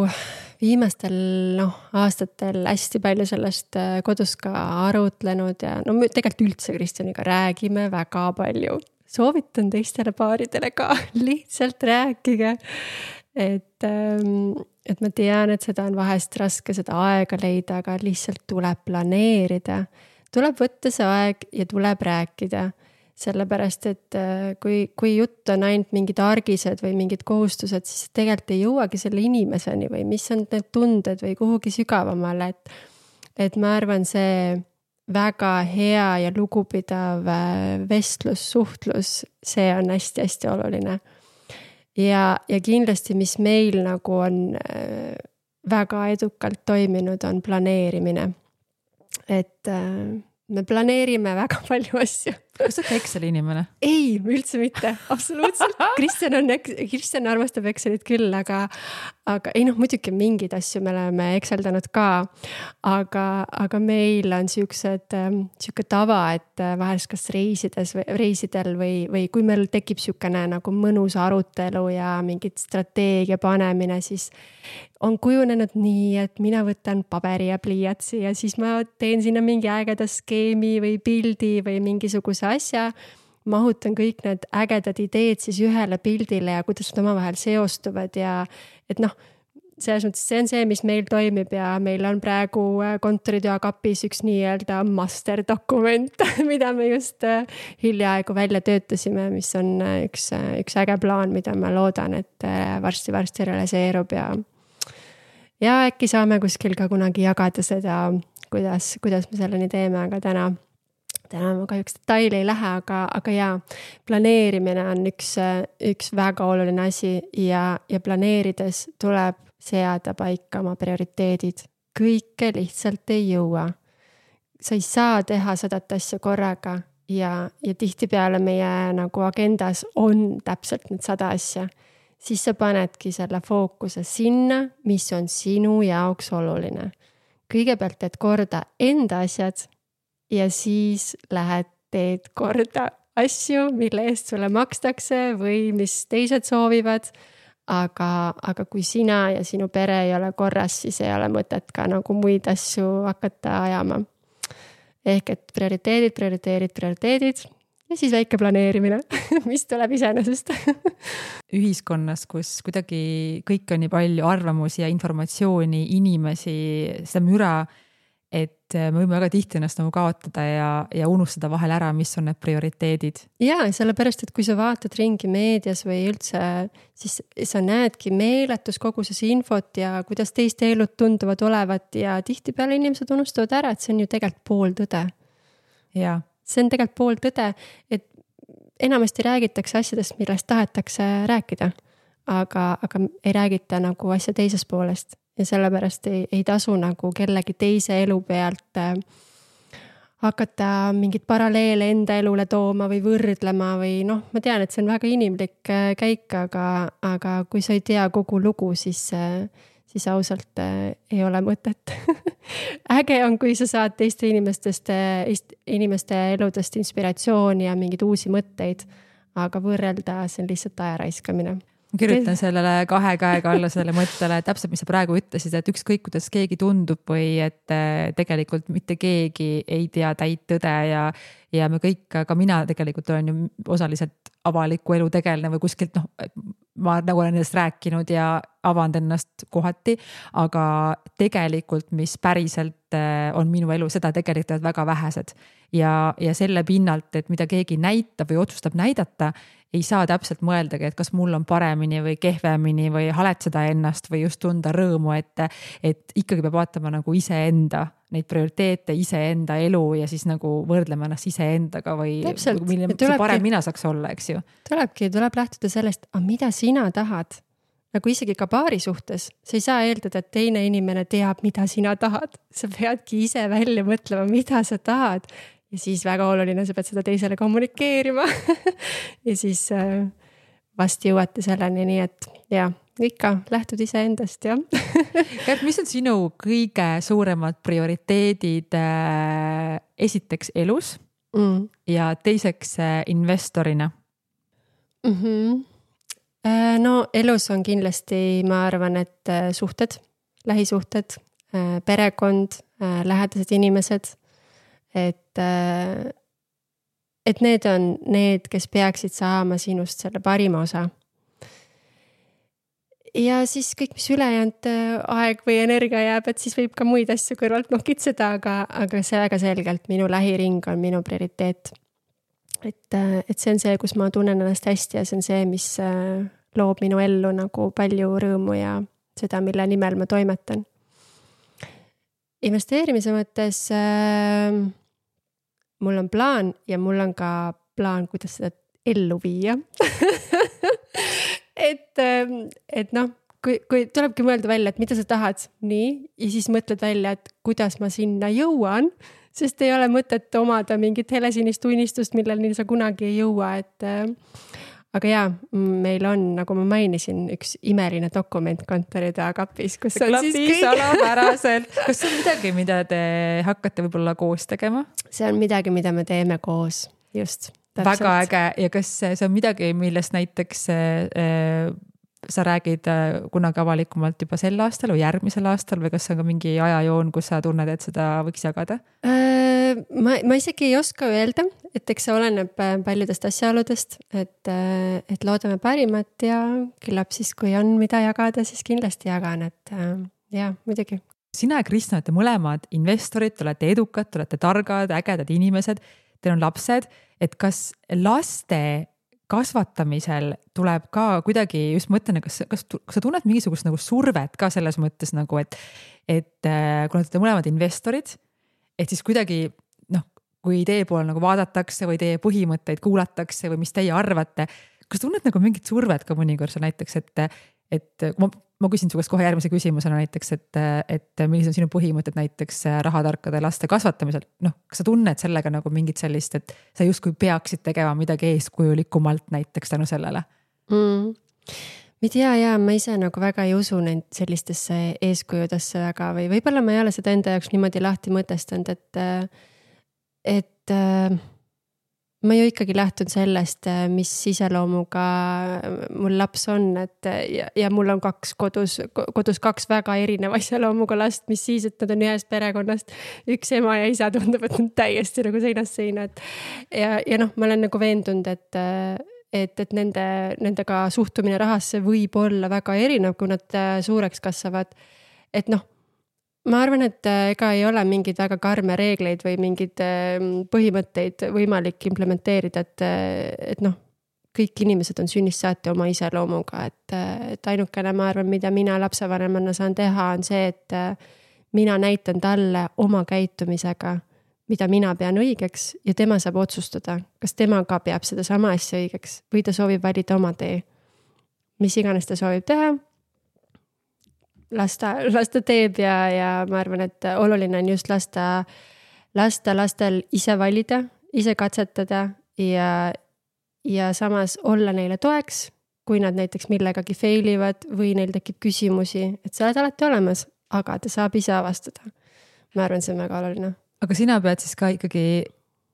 viimastel aastatel hästi palju sellest kodus ka arutlenud ja me tegelikult üldse Kristjaniga räägime väga palju. Soovitan teistele paaridele ka, lihtsalt rääkige. Et ma tean, et seda on vahest raske seda aega leida, aga lihtsalt tuleb planeerida. Tuleb võtta see aeg ja tuleb rääkida. Sellepärast, et kui jutt on ainult mingid argised või mingid kohustused, siis tegelikult ei jõuagi selle inimeseni või mis on need tunded või kuhugi sügavamale. Et ma arvan, see väga hea ja lugupidav vestlus, suhtlus, see on hästi-hästi oluline. Ja kindlasti, mis meil nagu on väga edukalt toiminud, on planeerimine. Et me planeerime väga palju asju. Kas sa oled Exceli inimene? Ei, üldse mitte, absoluutselt. Kristjan armastab Excelit küll, aga ei muidugi mingid asju me oleme Exceldanud ka, aga meil on siuke tava, et vahest kas reisidel või kui meil tekib siukene nagu mõnus arutelu ja mingit strateegia panemine, siis on kujunenud nii, et mina võtan paberi ja pliiatsi ja siis ma teen sinna mingi ägeda skeemi või pildi või mingisuguse asja, mahutan kõik need ägedad ideed siis ühele pildile ja kuidas nad omavahel seostuvad ja et selles mõttes see on see, mis meil toimib ja meil on praegu kontoritöökapis üks nii-öelda master dokument, mida me just hiljaaegu välja töötasime, mis on üks äge plaan, mida ma loodan, et varsti realiseerub ja äkki saame kuskil ka kunagi jagada seda, kuidas me selleni teeme, aga täna ma kahjuks detaili ei lähe, aga jaa, planeerimine on üks väga oluline asi ja planeerides tuleb seada paika oma prioriteedid. Kõike lihtsalt ei jõua. sa ei saa teha 100 asja korraga ja tihtipeale meie nagu agendas on täpselt need 100 asja, siis sa panedki selle fookuse sinna, mis on sinu jaoks oluline. Kõigepealt teed korda enda asjad ja siis lähed teed korda asju, mille eest sulle makstakse või mis teised soovivad. Aga kui sina ja sinu pere ei ole korras, siis ei ole mõtet ka nagu muid asju hakata ajama. Ehk et prioriteedid ja siis väike planeerimine, mis tuleb iseenesest. Ühiskonnas, kus kuidagi kõik on nii palju arvamusi ja informatsiooni, inimesi, seda müra, et me võime väga tihti ennast nagu kaotada ja unustada vahel ära, mis on need prioriteedid. Jaa, sellepärast, et kui sa vaatad ringi meedias või üldse, siis sa näedki meeletus koguses infot ja kuidas teiste elud tunduvad olevat ja tihtipeale inimesed unustavad ära, et see on ju tegelikult pooltõde. Jaa. See on tegelikult pooltõde, et enamasti räägitakse asjadest, millest tahetakse rääkida, aga ei räägita nagu asja teisest poolest. Ja sellepärast ei tasu nagu kellegi teise elu pealt hakata mingit paralleele enda elule tooma või võrdlema või noh, ma tean, et see on väga inimlik käik, aga kui sa ei tea kogu lugu, siis ausalt ei ole mõtet. Äge on, kui sa saad teiste inimeste eludest inspiratsiooni ja mingeid uusi mõtteid, aga võrrelda see on lihtsalt aja raiskamine. Ma kirjutan sellele 2 käega alla sellele mõttele, täpselt, mis sa praegu ütlesid, et ükskõik, kuidas keegi tundub või et tegelikult mitte keegi ei tea täit tõde ja me kõik, ka mina tegelikult olen ju osaliselt avaliku elu tegelane või kuskilt, ma nagu olen endast rääkinud ja avanud ennast kohati, aga tegelikult, mis päriselt on minu elu, seda tegelikult väga vähesed. Ja selle pinnalt, et mida keegi näitab või otsustab näidata, ei saa täpselt mõeldagi, et kas mul on paremini või kehvemini või haletseda ennast või just tunda rõõmu, et ikkagi peab vaatama nagu iseenda, neid prioriteete, iseenda elu ja siis nagu võrdlema ennast iseendaga või milline parem mina saaks olla, eks ju. Tuleb lähtuda sellest, mida sina tahad. Nagu isegi ka paari suhtes, sa ei saa eeldada, et teine inimene teab, mida sina tahad. Sa peadki ise välja mõtlema, mida sa tahad. Ja siis väga oluline, sa pead seda teisele kommunikeerima. Ja siis vast jõuate selleni, nii et ja, ikka lähtud ise endast, jah. Kärt, mis on sinu kõige suuremad prioriteedid esiteks elus ja teiseks investorina? No elus on kindlasti, ma arvan, et suhted, lähisuhted, perekond, lähedased inimesed, et need on need, kes peaksid saama sinust selle parima osa. Ja siis kõik, mis ülejäänud aeg või energia jääb, et siis võib ka muid asju kõrvalt nokitseda, aga see väga selgelt minu lähiring on minu prioriteet. Et see on see, kus ma tunnen ennast hästi ja see on see, mis loob minu ellu nagu palju rõõmu ja seda, mille nimel ma toimetan. Investeerimise mõttes mul on plaan ja mul on ka plaan, kuidas seda ellu viia. et noh, kui tulebki mõelda välja, et mida sa tahad, nii, ja siis mõtled välja, et kuidas ma sinna jõuan, sest ei ole mõtet omada mingit helesinist unistust, milleni sa kunagi ei jõua, aga jaa, meil on, nagu ma mainisin, üks imeline dokument kontori kapis, kus on siis kõik salapäraselt. Kas see on midagi, mida te hakkate võib-olla koos tegema? See on midagi, mida me teeme koos, just. Täpselt. Väga äge ja kas see on midagi, millest näiteks sa räägid kunagi avalikumalt juba sel aastal või järgmisel aastal või kas see on ka mingi ajajoon, kus sa tunned, et seda võiks jagada? Ma isegi ei oska öelda, et eks see oleneb paljudest asjaoludest, et loodame parimat ja küllap siis, kui on mida jagada, siis kindlasti jagan, et jah, muidugi. Sina ja Kristjan olete mõlemad investorid, te olete edukad, te olete targad, ägedad inimesed, teil on lapsed, et kas laste kasvatamisel tuleb ka kuidagi, just mõtlen, kas sa tunned mingisugust nagu survet ka selles mõttes nagu, et kuna te mõlemad investorid, et siis kuidagi, kui teie poole nagu vaadatakse või teie põhimõtteid kuulatakse või mis teie arvate, kas tunned nagu mingit survet ka mõnikord näiteks, et ma küsin su käest kohe järgmise küsimusena näiteks, et millised on sinu põhimõtted näiteks rahatarkade laste kasvatamisel, noh, kas sa tunned sellega nagu mingit sellist, et sa justkui peaksid tegema midagi eeskujulikumalt näiteks tänu sellele? Ma ei tea, ma ise nagu väga ei usu neid sellistesse eeskujudesse väga või võib-olla ma ei ole seda enda jaoks niimoodi lahti mõtestanud, et ma ju ikkagi lähtun sellest, mis iseloomuga mul laps on, et ja mul on kodus kaks väga erineva iseloomuga last, mis siis, et nad on ühest perekonnast, üks ema ja isa tundub, et nad täiesti nagu seinast seina, ja noh, ma olen nagu veendunud, et nendega suhtumine rahasse võib olla väga erinev, kui nad suureks kasvavad, et noh, ma arvan, et ega ei ole mingeid väga karme reegleid või mingeid põhimõtteid võimalik implementeerida, et noh, kõik inimesed on sünnist saati oma iseloomuga, et ainukene, ma arvan, mida mina lapsevanemana saan teha, on see, et mina näitan talle oma käitumisega, mida mina pean õigeks ja tema saab otsustada, kas tema ka peab seda sama asja õigeks või ta soovib valida oma tee. Mis iganes ta soovib teha, las ta teeb ja ma arvan, et oluline on just lasta lastel ise valida, ise katsetada ja samas olla neile toeks, kui nad näiteks millegagi failivad või neil tekib küsimusi, et sa oled alati olemas, aga ta saab ise avastada. Ma arvan, see on väga oluline. Aga sina pead siis ka ikkagi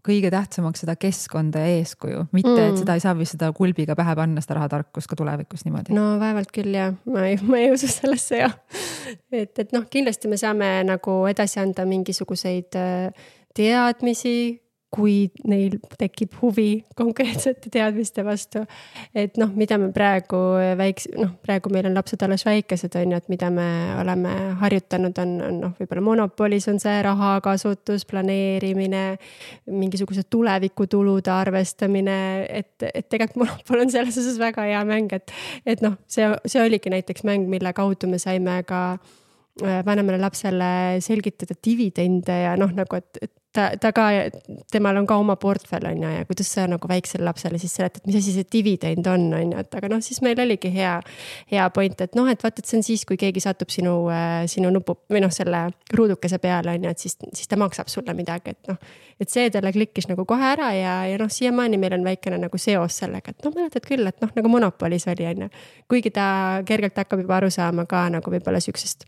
kõige tähtsamaks seda keskkonda ja eeskuju, mitte et seda ei saa vist seda kulbiga pähe panna, seda rahatarkust ka tulevikus niimoodi. No vaevalt küll ja, ma ei usu sellesse ja. Et noh, kindlasti me saame nagu edasi anda mingisuguseid teadmisi, kui neil tekib huvi konkreetsete teadmiste vastu. Et noh, mida me praegu meil on lapsed alles väikesed, on ju, et mida me oleme harjutanud on noh, võib-olla Monopolis on see rahakasutus, planeerimine, mingisugused tulevikutulude arvestamine, et tegelikult Monopol on selles osas väga hea mäng, et noh, see oligi näiteks mäng, mille kaudu me saime ka vanemale lapsele selgitada dividende ja noh, nagu, et ta ka, temal on ka oma portfell on ja kuidas sa nagu väiksele lapsele siis seletad, mis asi see dividend on ja, et aga noh, siis meil oligi hea point, et noh, et vaat, et see on siis, kui keegi satub sinu nupu või noh, selle ruudukese peale on ja, et siis ta maksab sulle midagi, et noh, et see talle klikkis nagu kohe ära ja noh, siiamaani meil on väikene nagu seos sellega, et noh, mäletad küll, et noh, nagu Monopolis oli on ja, kuigi ta kergelt hakkab juba aru saama ka nagu võib-olla siuksest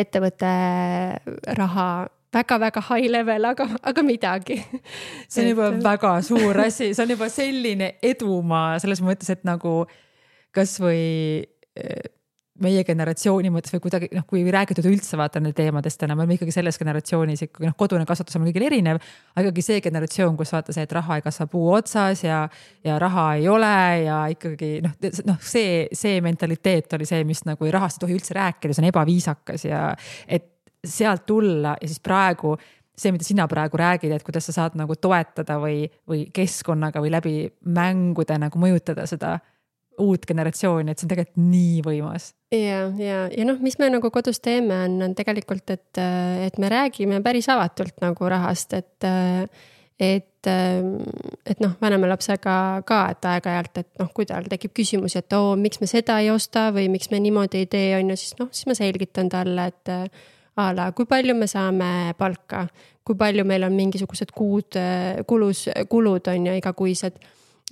ettevõtte raha väga-väga high level, aga midagi. See on juba väga suur asi, see on juba selline edumaa selles mõttes, et nagu kas või meie generatsiooni mõttes või kuidagi, noh, kui räägitud üldse vaata need teemadest täna, me oleme ikkagi selles generatsioonis ikkagi, noh, kodune kasvatus on kõigil erinev, aga ikkagi see generatsioon, kus vaata see, et raha ei kasva puu otsas ja raha ei ole ja ikkagi, noh, see mentaliteet oli see, mis nagu rahast ei tohi üldse rääkida, see on ebaviisakas ja et sealt tulla ja siis praegu see, mida sina praegu räägid, et kuidas sa saad nagu toetada või keskkonnaga või läbi mängude nagu mõjutada seda uut generatsiooni, et see on tegelikult nii võimas. Ja noh, mis me nagu kodus teeme on tegelikult, et me räägime päris avatult nagu rahast, et noh, vanema lapsega ka, et aeg-ajalt, et noh, kui tal tekib küsimusi, et miks me seda ei osta või miks me niimoodi ei tee, on ju, siis ma selgitan talle, et kui palju me saame palka, kui palju meil on mingisugused kulud on ju igakuised,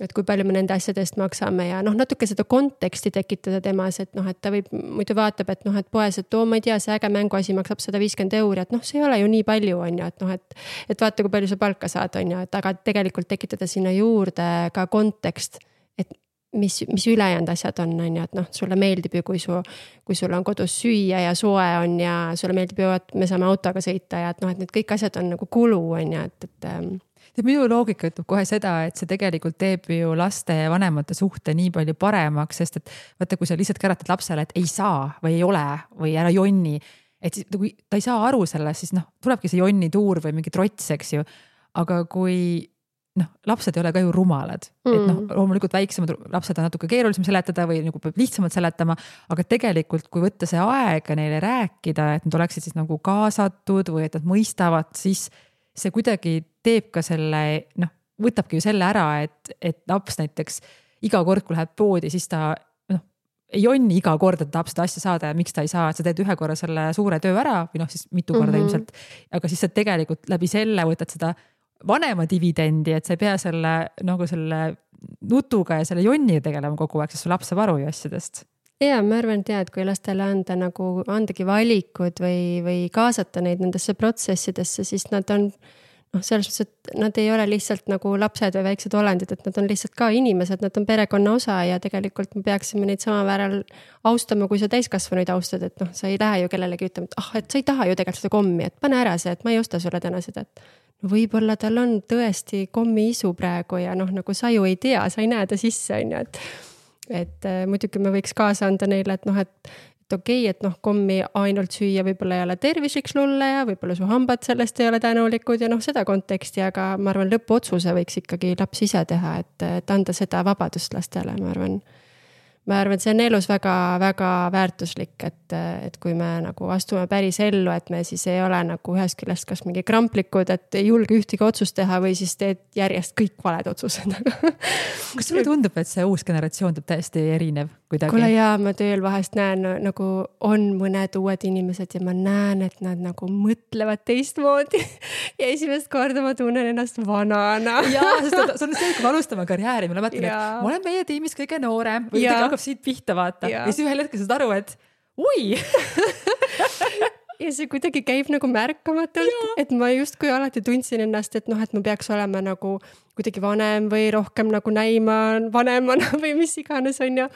et kui palju me nende asjadest maksame ja noh, natuke seda konteksti tekitada temas, et noh, et ta võib, muidu vaatab, et noh, et poes, et ma ei tea, see äge mänguasi maksab 150 €, et noh, see ei ole ju nii palju, on ju, et noh, et vaata, kui palju sa palka saad, on ju, et aga tegelikult tekitada sinna juurde ka kontekst, et mis ülejäänud asjad on ju, et noh, sulle meeldib ju, kui sul on kodus süüa ja soe on ja sulle meeldib ju, et me saame autoga sõita ja et noh, et need kõik asjad on nagu kulu on ju, et minu loogika ütleb kohe seda, et see tegelikult teeb ju laste ja vanemate suhte nii palju paremaks, sest et vaata, kui sa lihtsalt käratad lapsele, et ei saa või ei ole või ära jonni, et kui ta ei saa aru sellest, siis noh, tulebki see jonni tuur või mingi trots, eks ju, aga kui noh, lapsed ei ole ka ju rumalad, et noh, loomulikult väiksemad lapsed on natuke keerulisem seletada või nagu peab lihtsamalt seletama, aga tegelikult, kui võtta see aega neile rääkida, et nad oleksid siis nagu kaasatud või et nad mõistavad, siis see kuidagi teeb ka selle, noh, võtabki ju selle ära, et laps näiteks iga kord, kui läheb poodi, siis ta jonni iga kord, et tahab seda asja saada ja miks ta ei saa, et sa teed ühe korra selle suure töö ära või noh, siis mitu korda ilmselt. Aga siis sa tegelikult läbi selle võtad seda vanema dividendi, et sa ei pea selle nagu selle nutuga ja selle jonniga tegelema kogu aeg, sest su laps saab aru ju asjadest. Ja ma arvan, et kui lastele andagi valikud või kaasata neid nendesse protsessidesse, siis nad on selles mõttes, et nad ei ole lihtsalt nagu lapsed või väiksed olendid, et nad on lihtsalt ka inimesed, nad on perekonna osa ja tegelikult me peaksime neid samavääral austama, kui sa täiskasvanuid austad, et sa ei lähe ju kellelegi ütlema, et sa ei taha ju tegelikult seda kommi, et pane ära see, et ma ei osta sulle täna seda, et võib-olla tal on tõesti kommi isu praegu ja nagu sa ju ei tea, sa ei näe ta sisse, on ju, et muidugi me võiks kaasa anda neile, et et okei, et kommi ainult süüa võib-olla ei ole tervislik sulle ja võib-olla su hambad sellest ei ole tänulikud ja seda konteksti, aga ma arvan, lõpuotsuse võiks ikkagi laps ise teha, et anda seda vabadust lastele, ma arvan, et see on elus väga-väga väärtuslik, et kui me nagu astume päris ellu, et me siis ei ole nagu ühest küljest kas mingi kramplikud, et ei julge ühtegi otsust teha või siis teed järjest kõik valed otsused. Kas sulle tundub, et see uus generatsioon tuleb täiesti erinev kuidagi? Kuule jaa, ma tööl vahest näen, nagu on mõned uued inimesed ja ma näen, et nad nagu mõtlevad teistmoodi ja esimest korda ma tunnen ennast vanana. Jaa, sest see on see, kui me alustame karjääri, ma mäletan, et ma olen meie tiimis kõige noorem või hakkab siit pihta vaata ja siis ühel hetkel saad aru, et ui! Ja see kuidagi käib nagu märkamatult, et ma justkui alati tundsin ennast, et ma peaks olema nagu kuidagi vanem või rohkem nagu näima vanemana või mis iganes on ja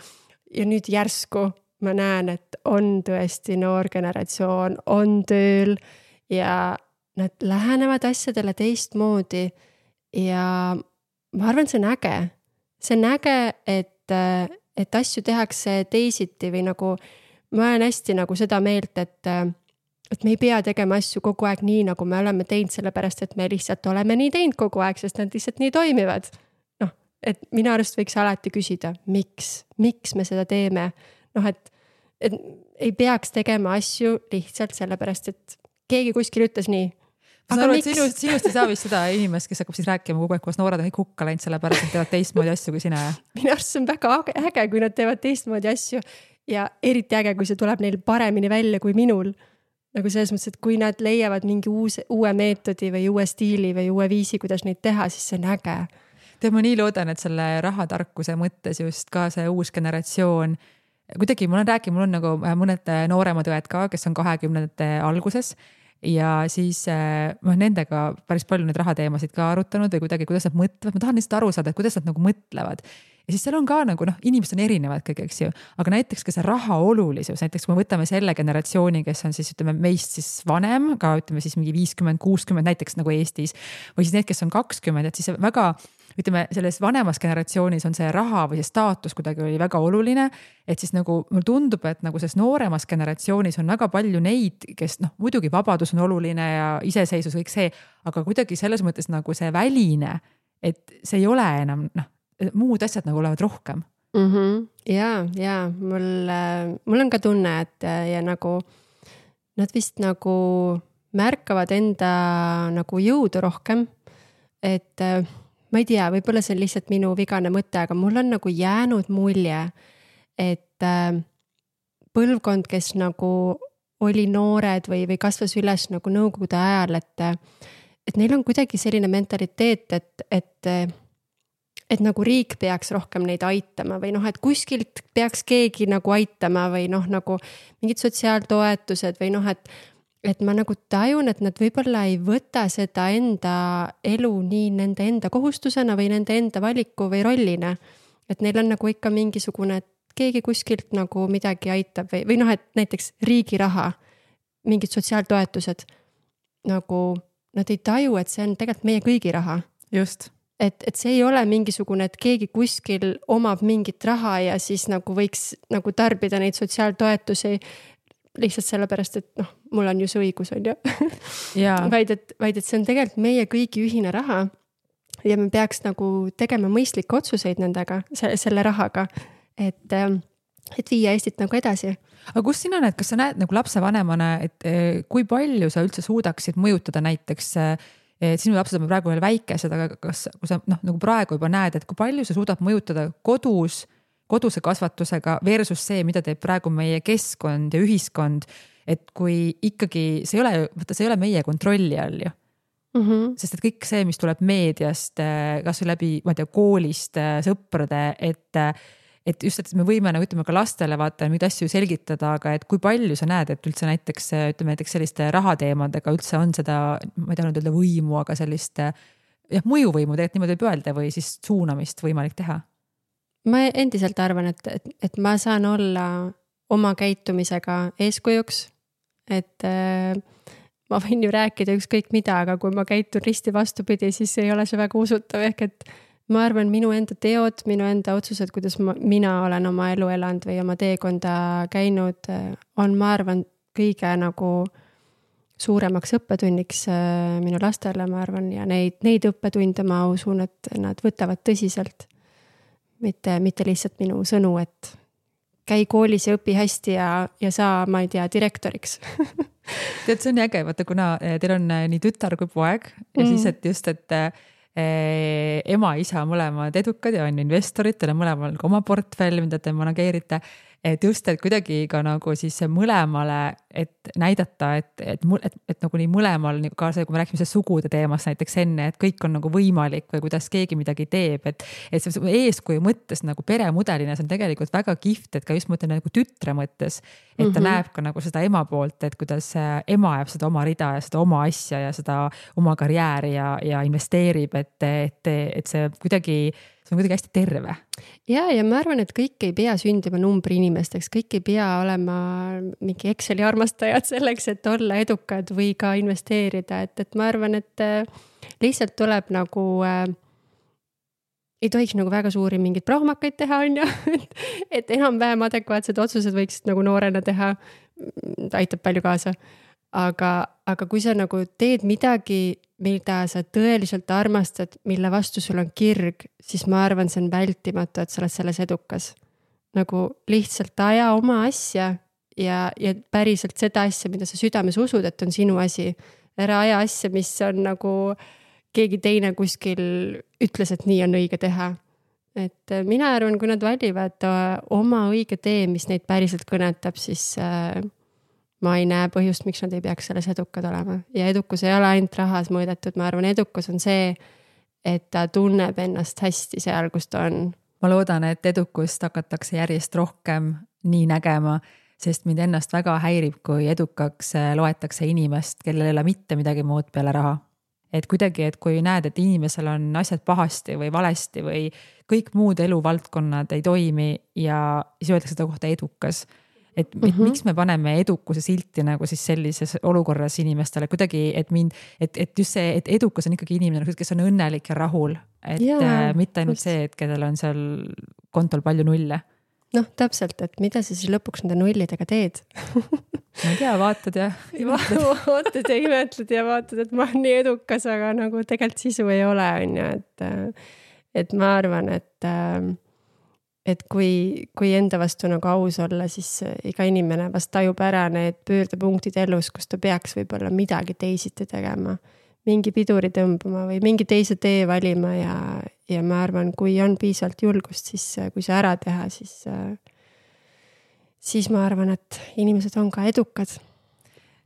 nüüd järsku ma näen, et on tõesti noor generatsioon, on tööl ja nad lähenevad asjadele teistmoodi ja ma arvan, see on äge. See on äge, et asju tehakse teisiti või nagu ma olen hästi nagu seda meelt, et me ei pea tegema asju kogu aeg nii, nagu me oleme teinud, sellepärast, et me lihtsalt oleme nii teinud kogu aeg, sest nad lihtsalt nii toimivad. Et minu arust võiks alati küsida, miks me seda teeme. Et ei peaks tegema asju lihtsalt sellepärast, et keegi kuskil ütles nii. Aga sinust ei saa vist seda inimest, kes hakkab siis rääkima kogu aeg, kus noored on kõik hukka läinud, sellepärast, et teevad teistmoodi asju kui sina. Minu arust see on väga äge, kui nad teevad teistmoodi asju ja eriti äge, kui see tuleb neil paremini välja kui minul. Nagu selles mõttes, et kui nad leiavad mingi uue meetodi või uue stiili või uue viisi, kuidas neid teha, siis see on äge. Ma nii loodan, et selle rahatarkuse mõttes just ka see uus generatsioon, kuidagi mul on nagu mõned nooremad õed ka, kes on 20 alguses ja siis nendega päris palju neid rahateemasid ka arutanud või kuidagi, kuidas nad mõtlevad, ma tahan lihtsalt aru saada, et kuidas nad nagu mõtlevad. Ja siis seal on ka nagu inimesed on erinevad kõik, eks ju, aga näiteks ka see raha olulisus, näiteks kui me võtame selle generatsiooni, kes on siis ütleme meist siis vanem, ka ütleme siis mingi 50-60 näiteks nagu Eestis või siis need, kes on 20, et siis väga ütleme, selles vanemas generatsioonis on see raha või see staatus kuidagi oli väga oluline, et siis nagu mul tundub, et nagu selles nooremas generatsioonis on väga palju neid, kes muidugi vabadus on oluline ja iseseisvus kõik see, aga kuidagi selles mõttes nagu see väline, et see ei ole enam, muud asjad nagu olevad rohkem. Ja mul on ka tunne, et ja nagu nad vist nagu märkavad enda nagu jõudu rohkem, et ma ei tea, võib-olla see on lihtsalt minu vigane mõte, aga mul on nagu jäänud mulje, et põlvkond, kes nagu oli noored või kasvas üles nagu nõukogude ajal, et neil on kuidagi selline mentaliteet, et nagu riik peaks rohkem neid aitama või et kuskilt peaks keegi nagu aitama või nagu mingid sotsiaaltoetused või et ma nagu tajun, et nad võib-olla ei võta seda enda elu nii nende enda kohustusena või nende enda valiku või rollina. Et neil on nagu ikka mingisugune, et keegi kuskilt nagu midagi aitab või et näiteks riigi raha, mingid sotsiaaltoetused, nagu nad ei taju, et see on tegelikult meie kõigi raha. Just. Et see ei ole mingisugune, et keegi kuskil omab mingit raha ja siis nagu võiks nagu tarbida neid sotsiaaltoetusi lihtsalt sellepärast, et mul on ju see õigus, on ju. vaid et see on tegelikult meie kõigi ühine raha ja me peaks nagu tegema mõistlikke otsuseid nendega, selle rahaga, et viia Eestit nagu edasi. Aga kus sina näed, kas sa näed nagu lapsevanemana, et kui palju sa üldse suudaksid mõjutada näiteks, sinu lapsed on praegu veel väikesed, aga kui sa nagu praegu juba näed, et kui palju sa suudad mõjutada kodus koduse kasvatusega versus see, mida teeb praegu meie keskkond ja ühiskond, et kui ikkagi see ei ole meie kontrolli all ju. Sest et kõik see, mis tuleb meediast, kas või läbi, ma ei tea, koolist, sõprade, et just, et me võime nagu ütleme ka lastele vaata mingeid asju selgitada, aga et kui palju sa näed, et üldse näiteks selliste rahateemadega üldse on seda, ma ei taha nüüd öelda võimu, aga sellist mõjuvõimu tegelikult niimoodi võib öelda või siis suunamist võimalik teha? Ma endiselt arvan, et ma saan olla oma käitumisega eeskujuks, et ma võin ju rääkida ükskõik mida, aga kui ma käitun risti vastupidi, siis ei ole see väga usutav, ehk et ma arvan, minu enda teod, minu enda otsused, kuidas mina olen oma elu elanud või oma teekonda käinud, on, ma arvan, kõige nagu suuremaks õppetunniks minu lastele, ma arvan, ja neid õppetunde ma usun, et nad võtavad tõsiselt. Mitte lihtsalt minu sõnu, et käi koolis ja õpi hästi ja saa, ma ei tea, direktoriks. Tead, see on äge, vaata, kuna teil on nii tütar kui poeg ja siis, et just, et ema, isa mõlemad edukad ja on investorid, teil on mõlemal ka oma portfell, mida te manageerite, et just, et kuidagi ka nagu siis mõlemale, et näidata, et nagu nii mõlemal, ka see, kui me rääkime sugude teemast näiteks enne, et kõik on nagu võimalik või kuidas keegi midagi teeb, et see eeskuju mõttes nagu peremudelina, see on tegelikult väga kihvt, et ka just mõtlen nagu tütre mõttes, et ta näeb ka nagu seda ema poolt, et kuidas ema jääb seda oma rida ja seda oma asja ja seda oma karjääri ja investeerib, et see kuidagi hästi terve. Ja ma arvan, et kõik ei pea sündima numbri inimesteks, kõik ei pea olema mingi Exceli armastajad selleks, et olla edukad või ka investeerida, et ma arvan, et lihtsalt tuleb nagu, ei tohiks nagu väga suuri mingeid prohmakaid teha, on ju, et enam-vähem adekvaatsed otsused võiksid nagu noorena teha, aitab palju kaasa. Aga kui sa nagu teed midagi, mida sa tõeliselt armastad, mille vastu sul on kirg, siis ma arvan, see on vältimatu, et sa oled selles edukas. Nagu lihtsalt aja oma asja ja päriselt seda asja, mida sa südames usud, et on sinu asi. Ära aja asja, mis on nagu keegi teine kuskil ütles, et nii on õige teha. Et mina arvan, kui nad valivad oma õige tee, mis neid päriselt kõnetab, siis ma ei näe põhjust, miks nad ei peaks selles edukad olema. Ja edukus ei ole ainult rahas mõõdetud, ma arvan, edukus on see, et ta tunneb ennast hästi seal, kus ta on. Ma loodan, et edukust hakatakse järjest rohkem nii nägema, sest mind ennast väga häirib, kui edukaks loetakse inimest, kellel ei ole mitte midagi muud peale raha. Et kuidagi, et kui näed, et inimesel on asjad pahasti või valesti või kõik muud eluvaldkonnad ei toimi ja siis öeldakse seda kohta edukas. Et miks me paneme edukuse silti nagu siis sellises olukorras inimestele kuidagi, et just see, et edukas on ikkagi inimene, kes on õnnelik ja rahul, et mitte ainult see, et kellel on seal kontol palju nulle. Noh, täpselt, et mida sa siis lõpuks nende nullidega teed? Ma ei tea, vaatad ja vaatad ja imetled ja vaatad, et ma olen nii edukas, aga nagu tegelikult sisu ei ole, on ju, et ma arvan, et kui enda vastu nagu aus olla, siis iga inimene vast tajub ära need pöördepunktid elus, kus ta peaks võib-olla midagi teisiti tegema, mingi piduri tõmbama või mingi teise tee valima ja ma arvan, kui on piisavalt julgust, siis kui see ära teha, siis ma arvan, et inimesed on ka edukad.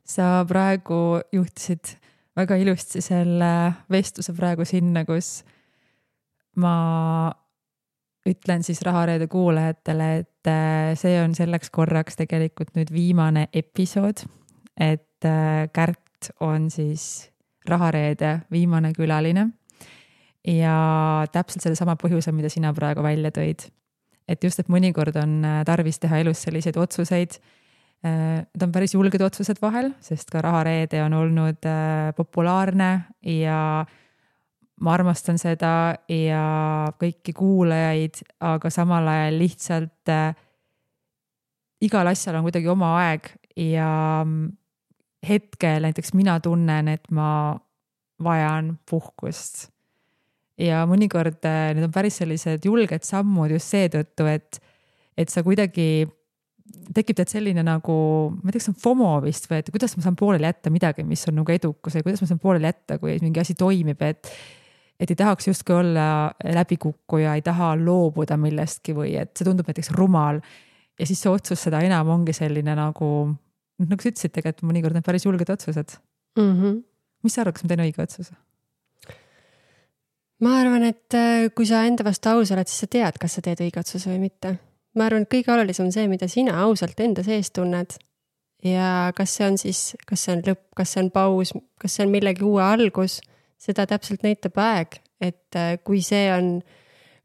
Sa praegu juhtisid väga ilusti selle vestluse praegu sinna, kus ma ütlen siis Rahareede kuulajatele, et see on selleks korraks tegelikult nüüd viimane episood, et Kärt on siis Rahareede viimane külaline ja täpselt selle sama põhjuse, mida sina praegu välja tõid. Et just, et mõnikord on tarvis teha elus selliseid otsuseid. Need on päris julged otsused vahel, sest ka Rahareede on olnud populaarne ja ma armastan seda ja kõiki kuulajaid, aga samal ajal lihtsalt igal asjal on kuidagi oma aeg ja hetkel näiteks mina tunnen, et ma vajan puhkust. Ja mõnikord need on päris sellised julged sammud just seetõttu, et sa kuidagi tekib tead selline nagu, ma ei tea, kas on FOMO vist või et kuidas ma saan pooleli jätta midagi, mis on nagu edukus ja kuidas ma saan pooleli jätta, kui mingi asi toimib, et ei tahaks justkui olla läbikukkuja, ei taha loobuda millestki või et see tundub näiteks rumal. Ja siis see otsus seda enam ongi selline nagu sa ütlesid tegelikult mõnikord need päris julged otsused. Mis sa arvad, kas ma teen õige otsuse? Ma arvan, et kui sa enda vastu aus oled, siis sa tead, kas sa teed õige otsuse või mitte. Ma arvan, et kõige olulisem on see, mida sina ausalt enda sees tunned. Ja kas see on siis, kas see on lõpp, kas see on paus, kas see on millegi uue algus, seda täpselt näitab aeg, et kui see on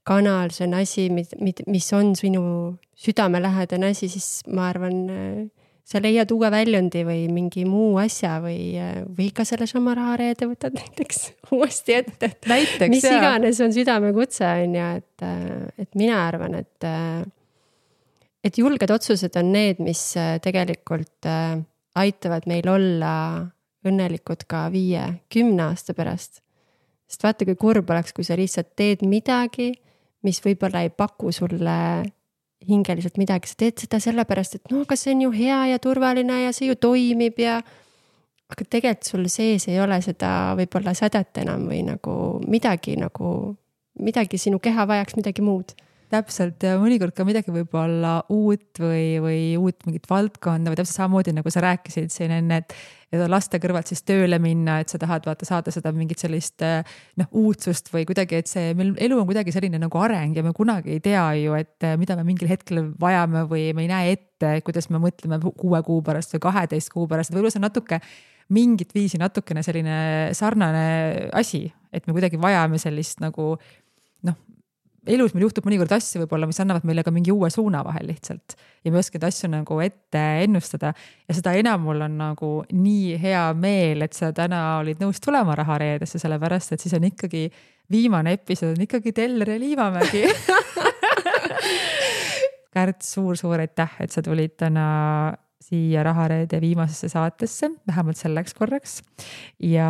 kanal, see on asi, mis on sinu südamelähedane asi, siis ma arvan, sa leiad uue väljundi või mingi muu asja või ka selle sama rahareede võtad näiteks uuesti ette. Näiteks, mis iganes on südamekutse, on ja, et mina arvan, et julged otsused on need, mis tegelikult aitavad meil olla õnnelikud ka 5-10 aasta pärast. Sest vaata, kui kurb oleks, kui sa lihtsalt teed midagi, mis võib-olla ei paku sulle hingeliselt midagi, sa teed seda sellepärast, et no, aga see on ju hea ja turvaline ja see ju toimib ja aga tegelikult sul sees ei ole seda võib-olla sädet enam või midagi sinu keha vajaks midagi muud. Täpselt ja mõnikord ka midagi võib-olla uut või uut mingit valdkonda või täpselt samamoodi nagu sa rääkisid siin enne, et laste kõrvalt siis tööle minna, et sa tahad saada seda mingit sellist uudsust või kuidagi, et see meil elu on kuidagi selline nagu areng ja me kunagi ei tea ju, et mida me mingil hetkel vajame või me ei näe ette, kuidas me mõtleme 6 kuu pärast või 12 kuu pärast, võib-olla see on natuke mingit viisi natukene selline sarnane asi, et me kuidagi vajame sellist nagu elus meil juhtub mõnikord asju võib-olla, mis annavad meile ka mingi uue suuna vahel lihtsalt ja me oskame asju nagu ette ennustada ja seda enam mul on nagu nii hea meel, et sa täna olid nõus tulema rahareedesse, sellepärast et siis on ikkagi viimane episood on ikkagi Teller ja Liivamägi. Kärt, suur aitäh, et sa tulid täna siia Rahareede viimasesse saatesse, vähemalt selleks korraks. Ja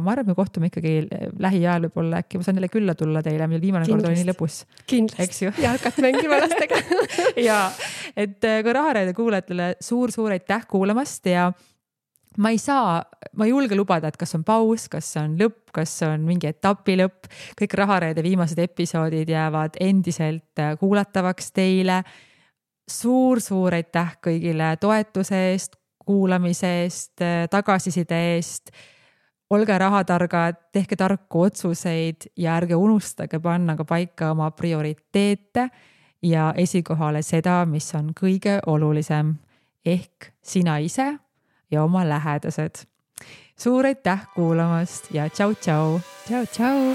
ma arvan, me kohtume ikkagi lähiajal võib-olla äkki, ma saan jälle külla tulla teile, meil viimane kord oli nii lõbus. Kindlasti, ja hakata mängima lastega. ja, et kui Rahareede kuulajatele suur aitäh kuulamast ja ma ei julge lubada, et kas on paus, kas on lõpp, kas on mingi etapi lõpp. Kõik Rahareede viimased episoodid jäävad endiselt kuulatavaks teile. Suur aitäh kõigile toetuse eest, kuulamise eest, tagasiside eest. Olge rahatargad, tehke tarku otsuseid ja ärge unustage panna ka paika oma prioriteete ja esikohale seda, mis on kõige olulisem ehk sina ise ja oma lähedased. Suur aitäh kuulamast ja tšau. Tšau.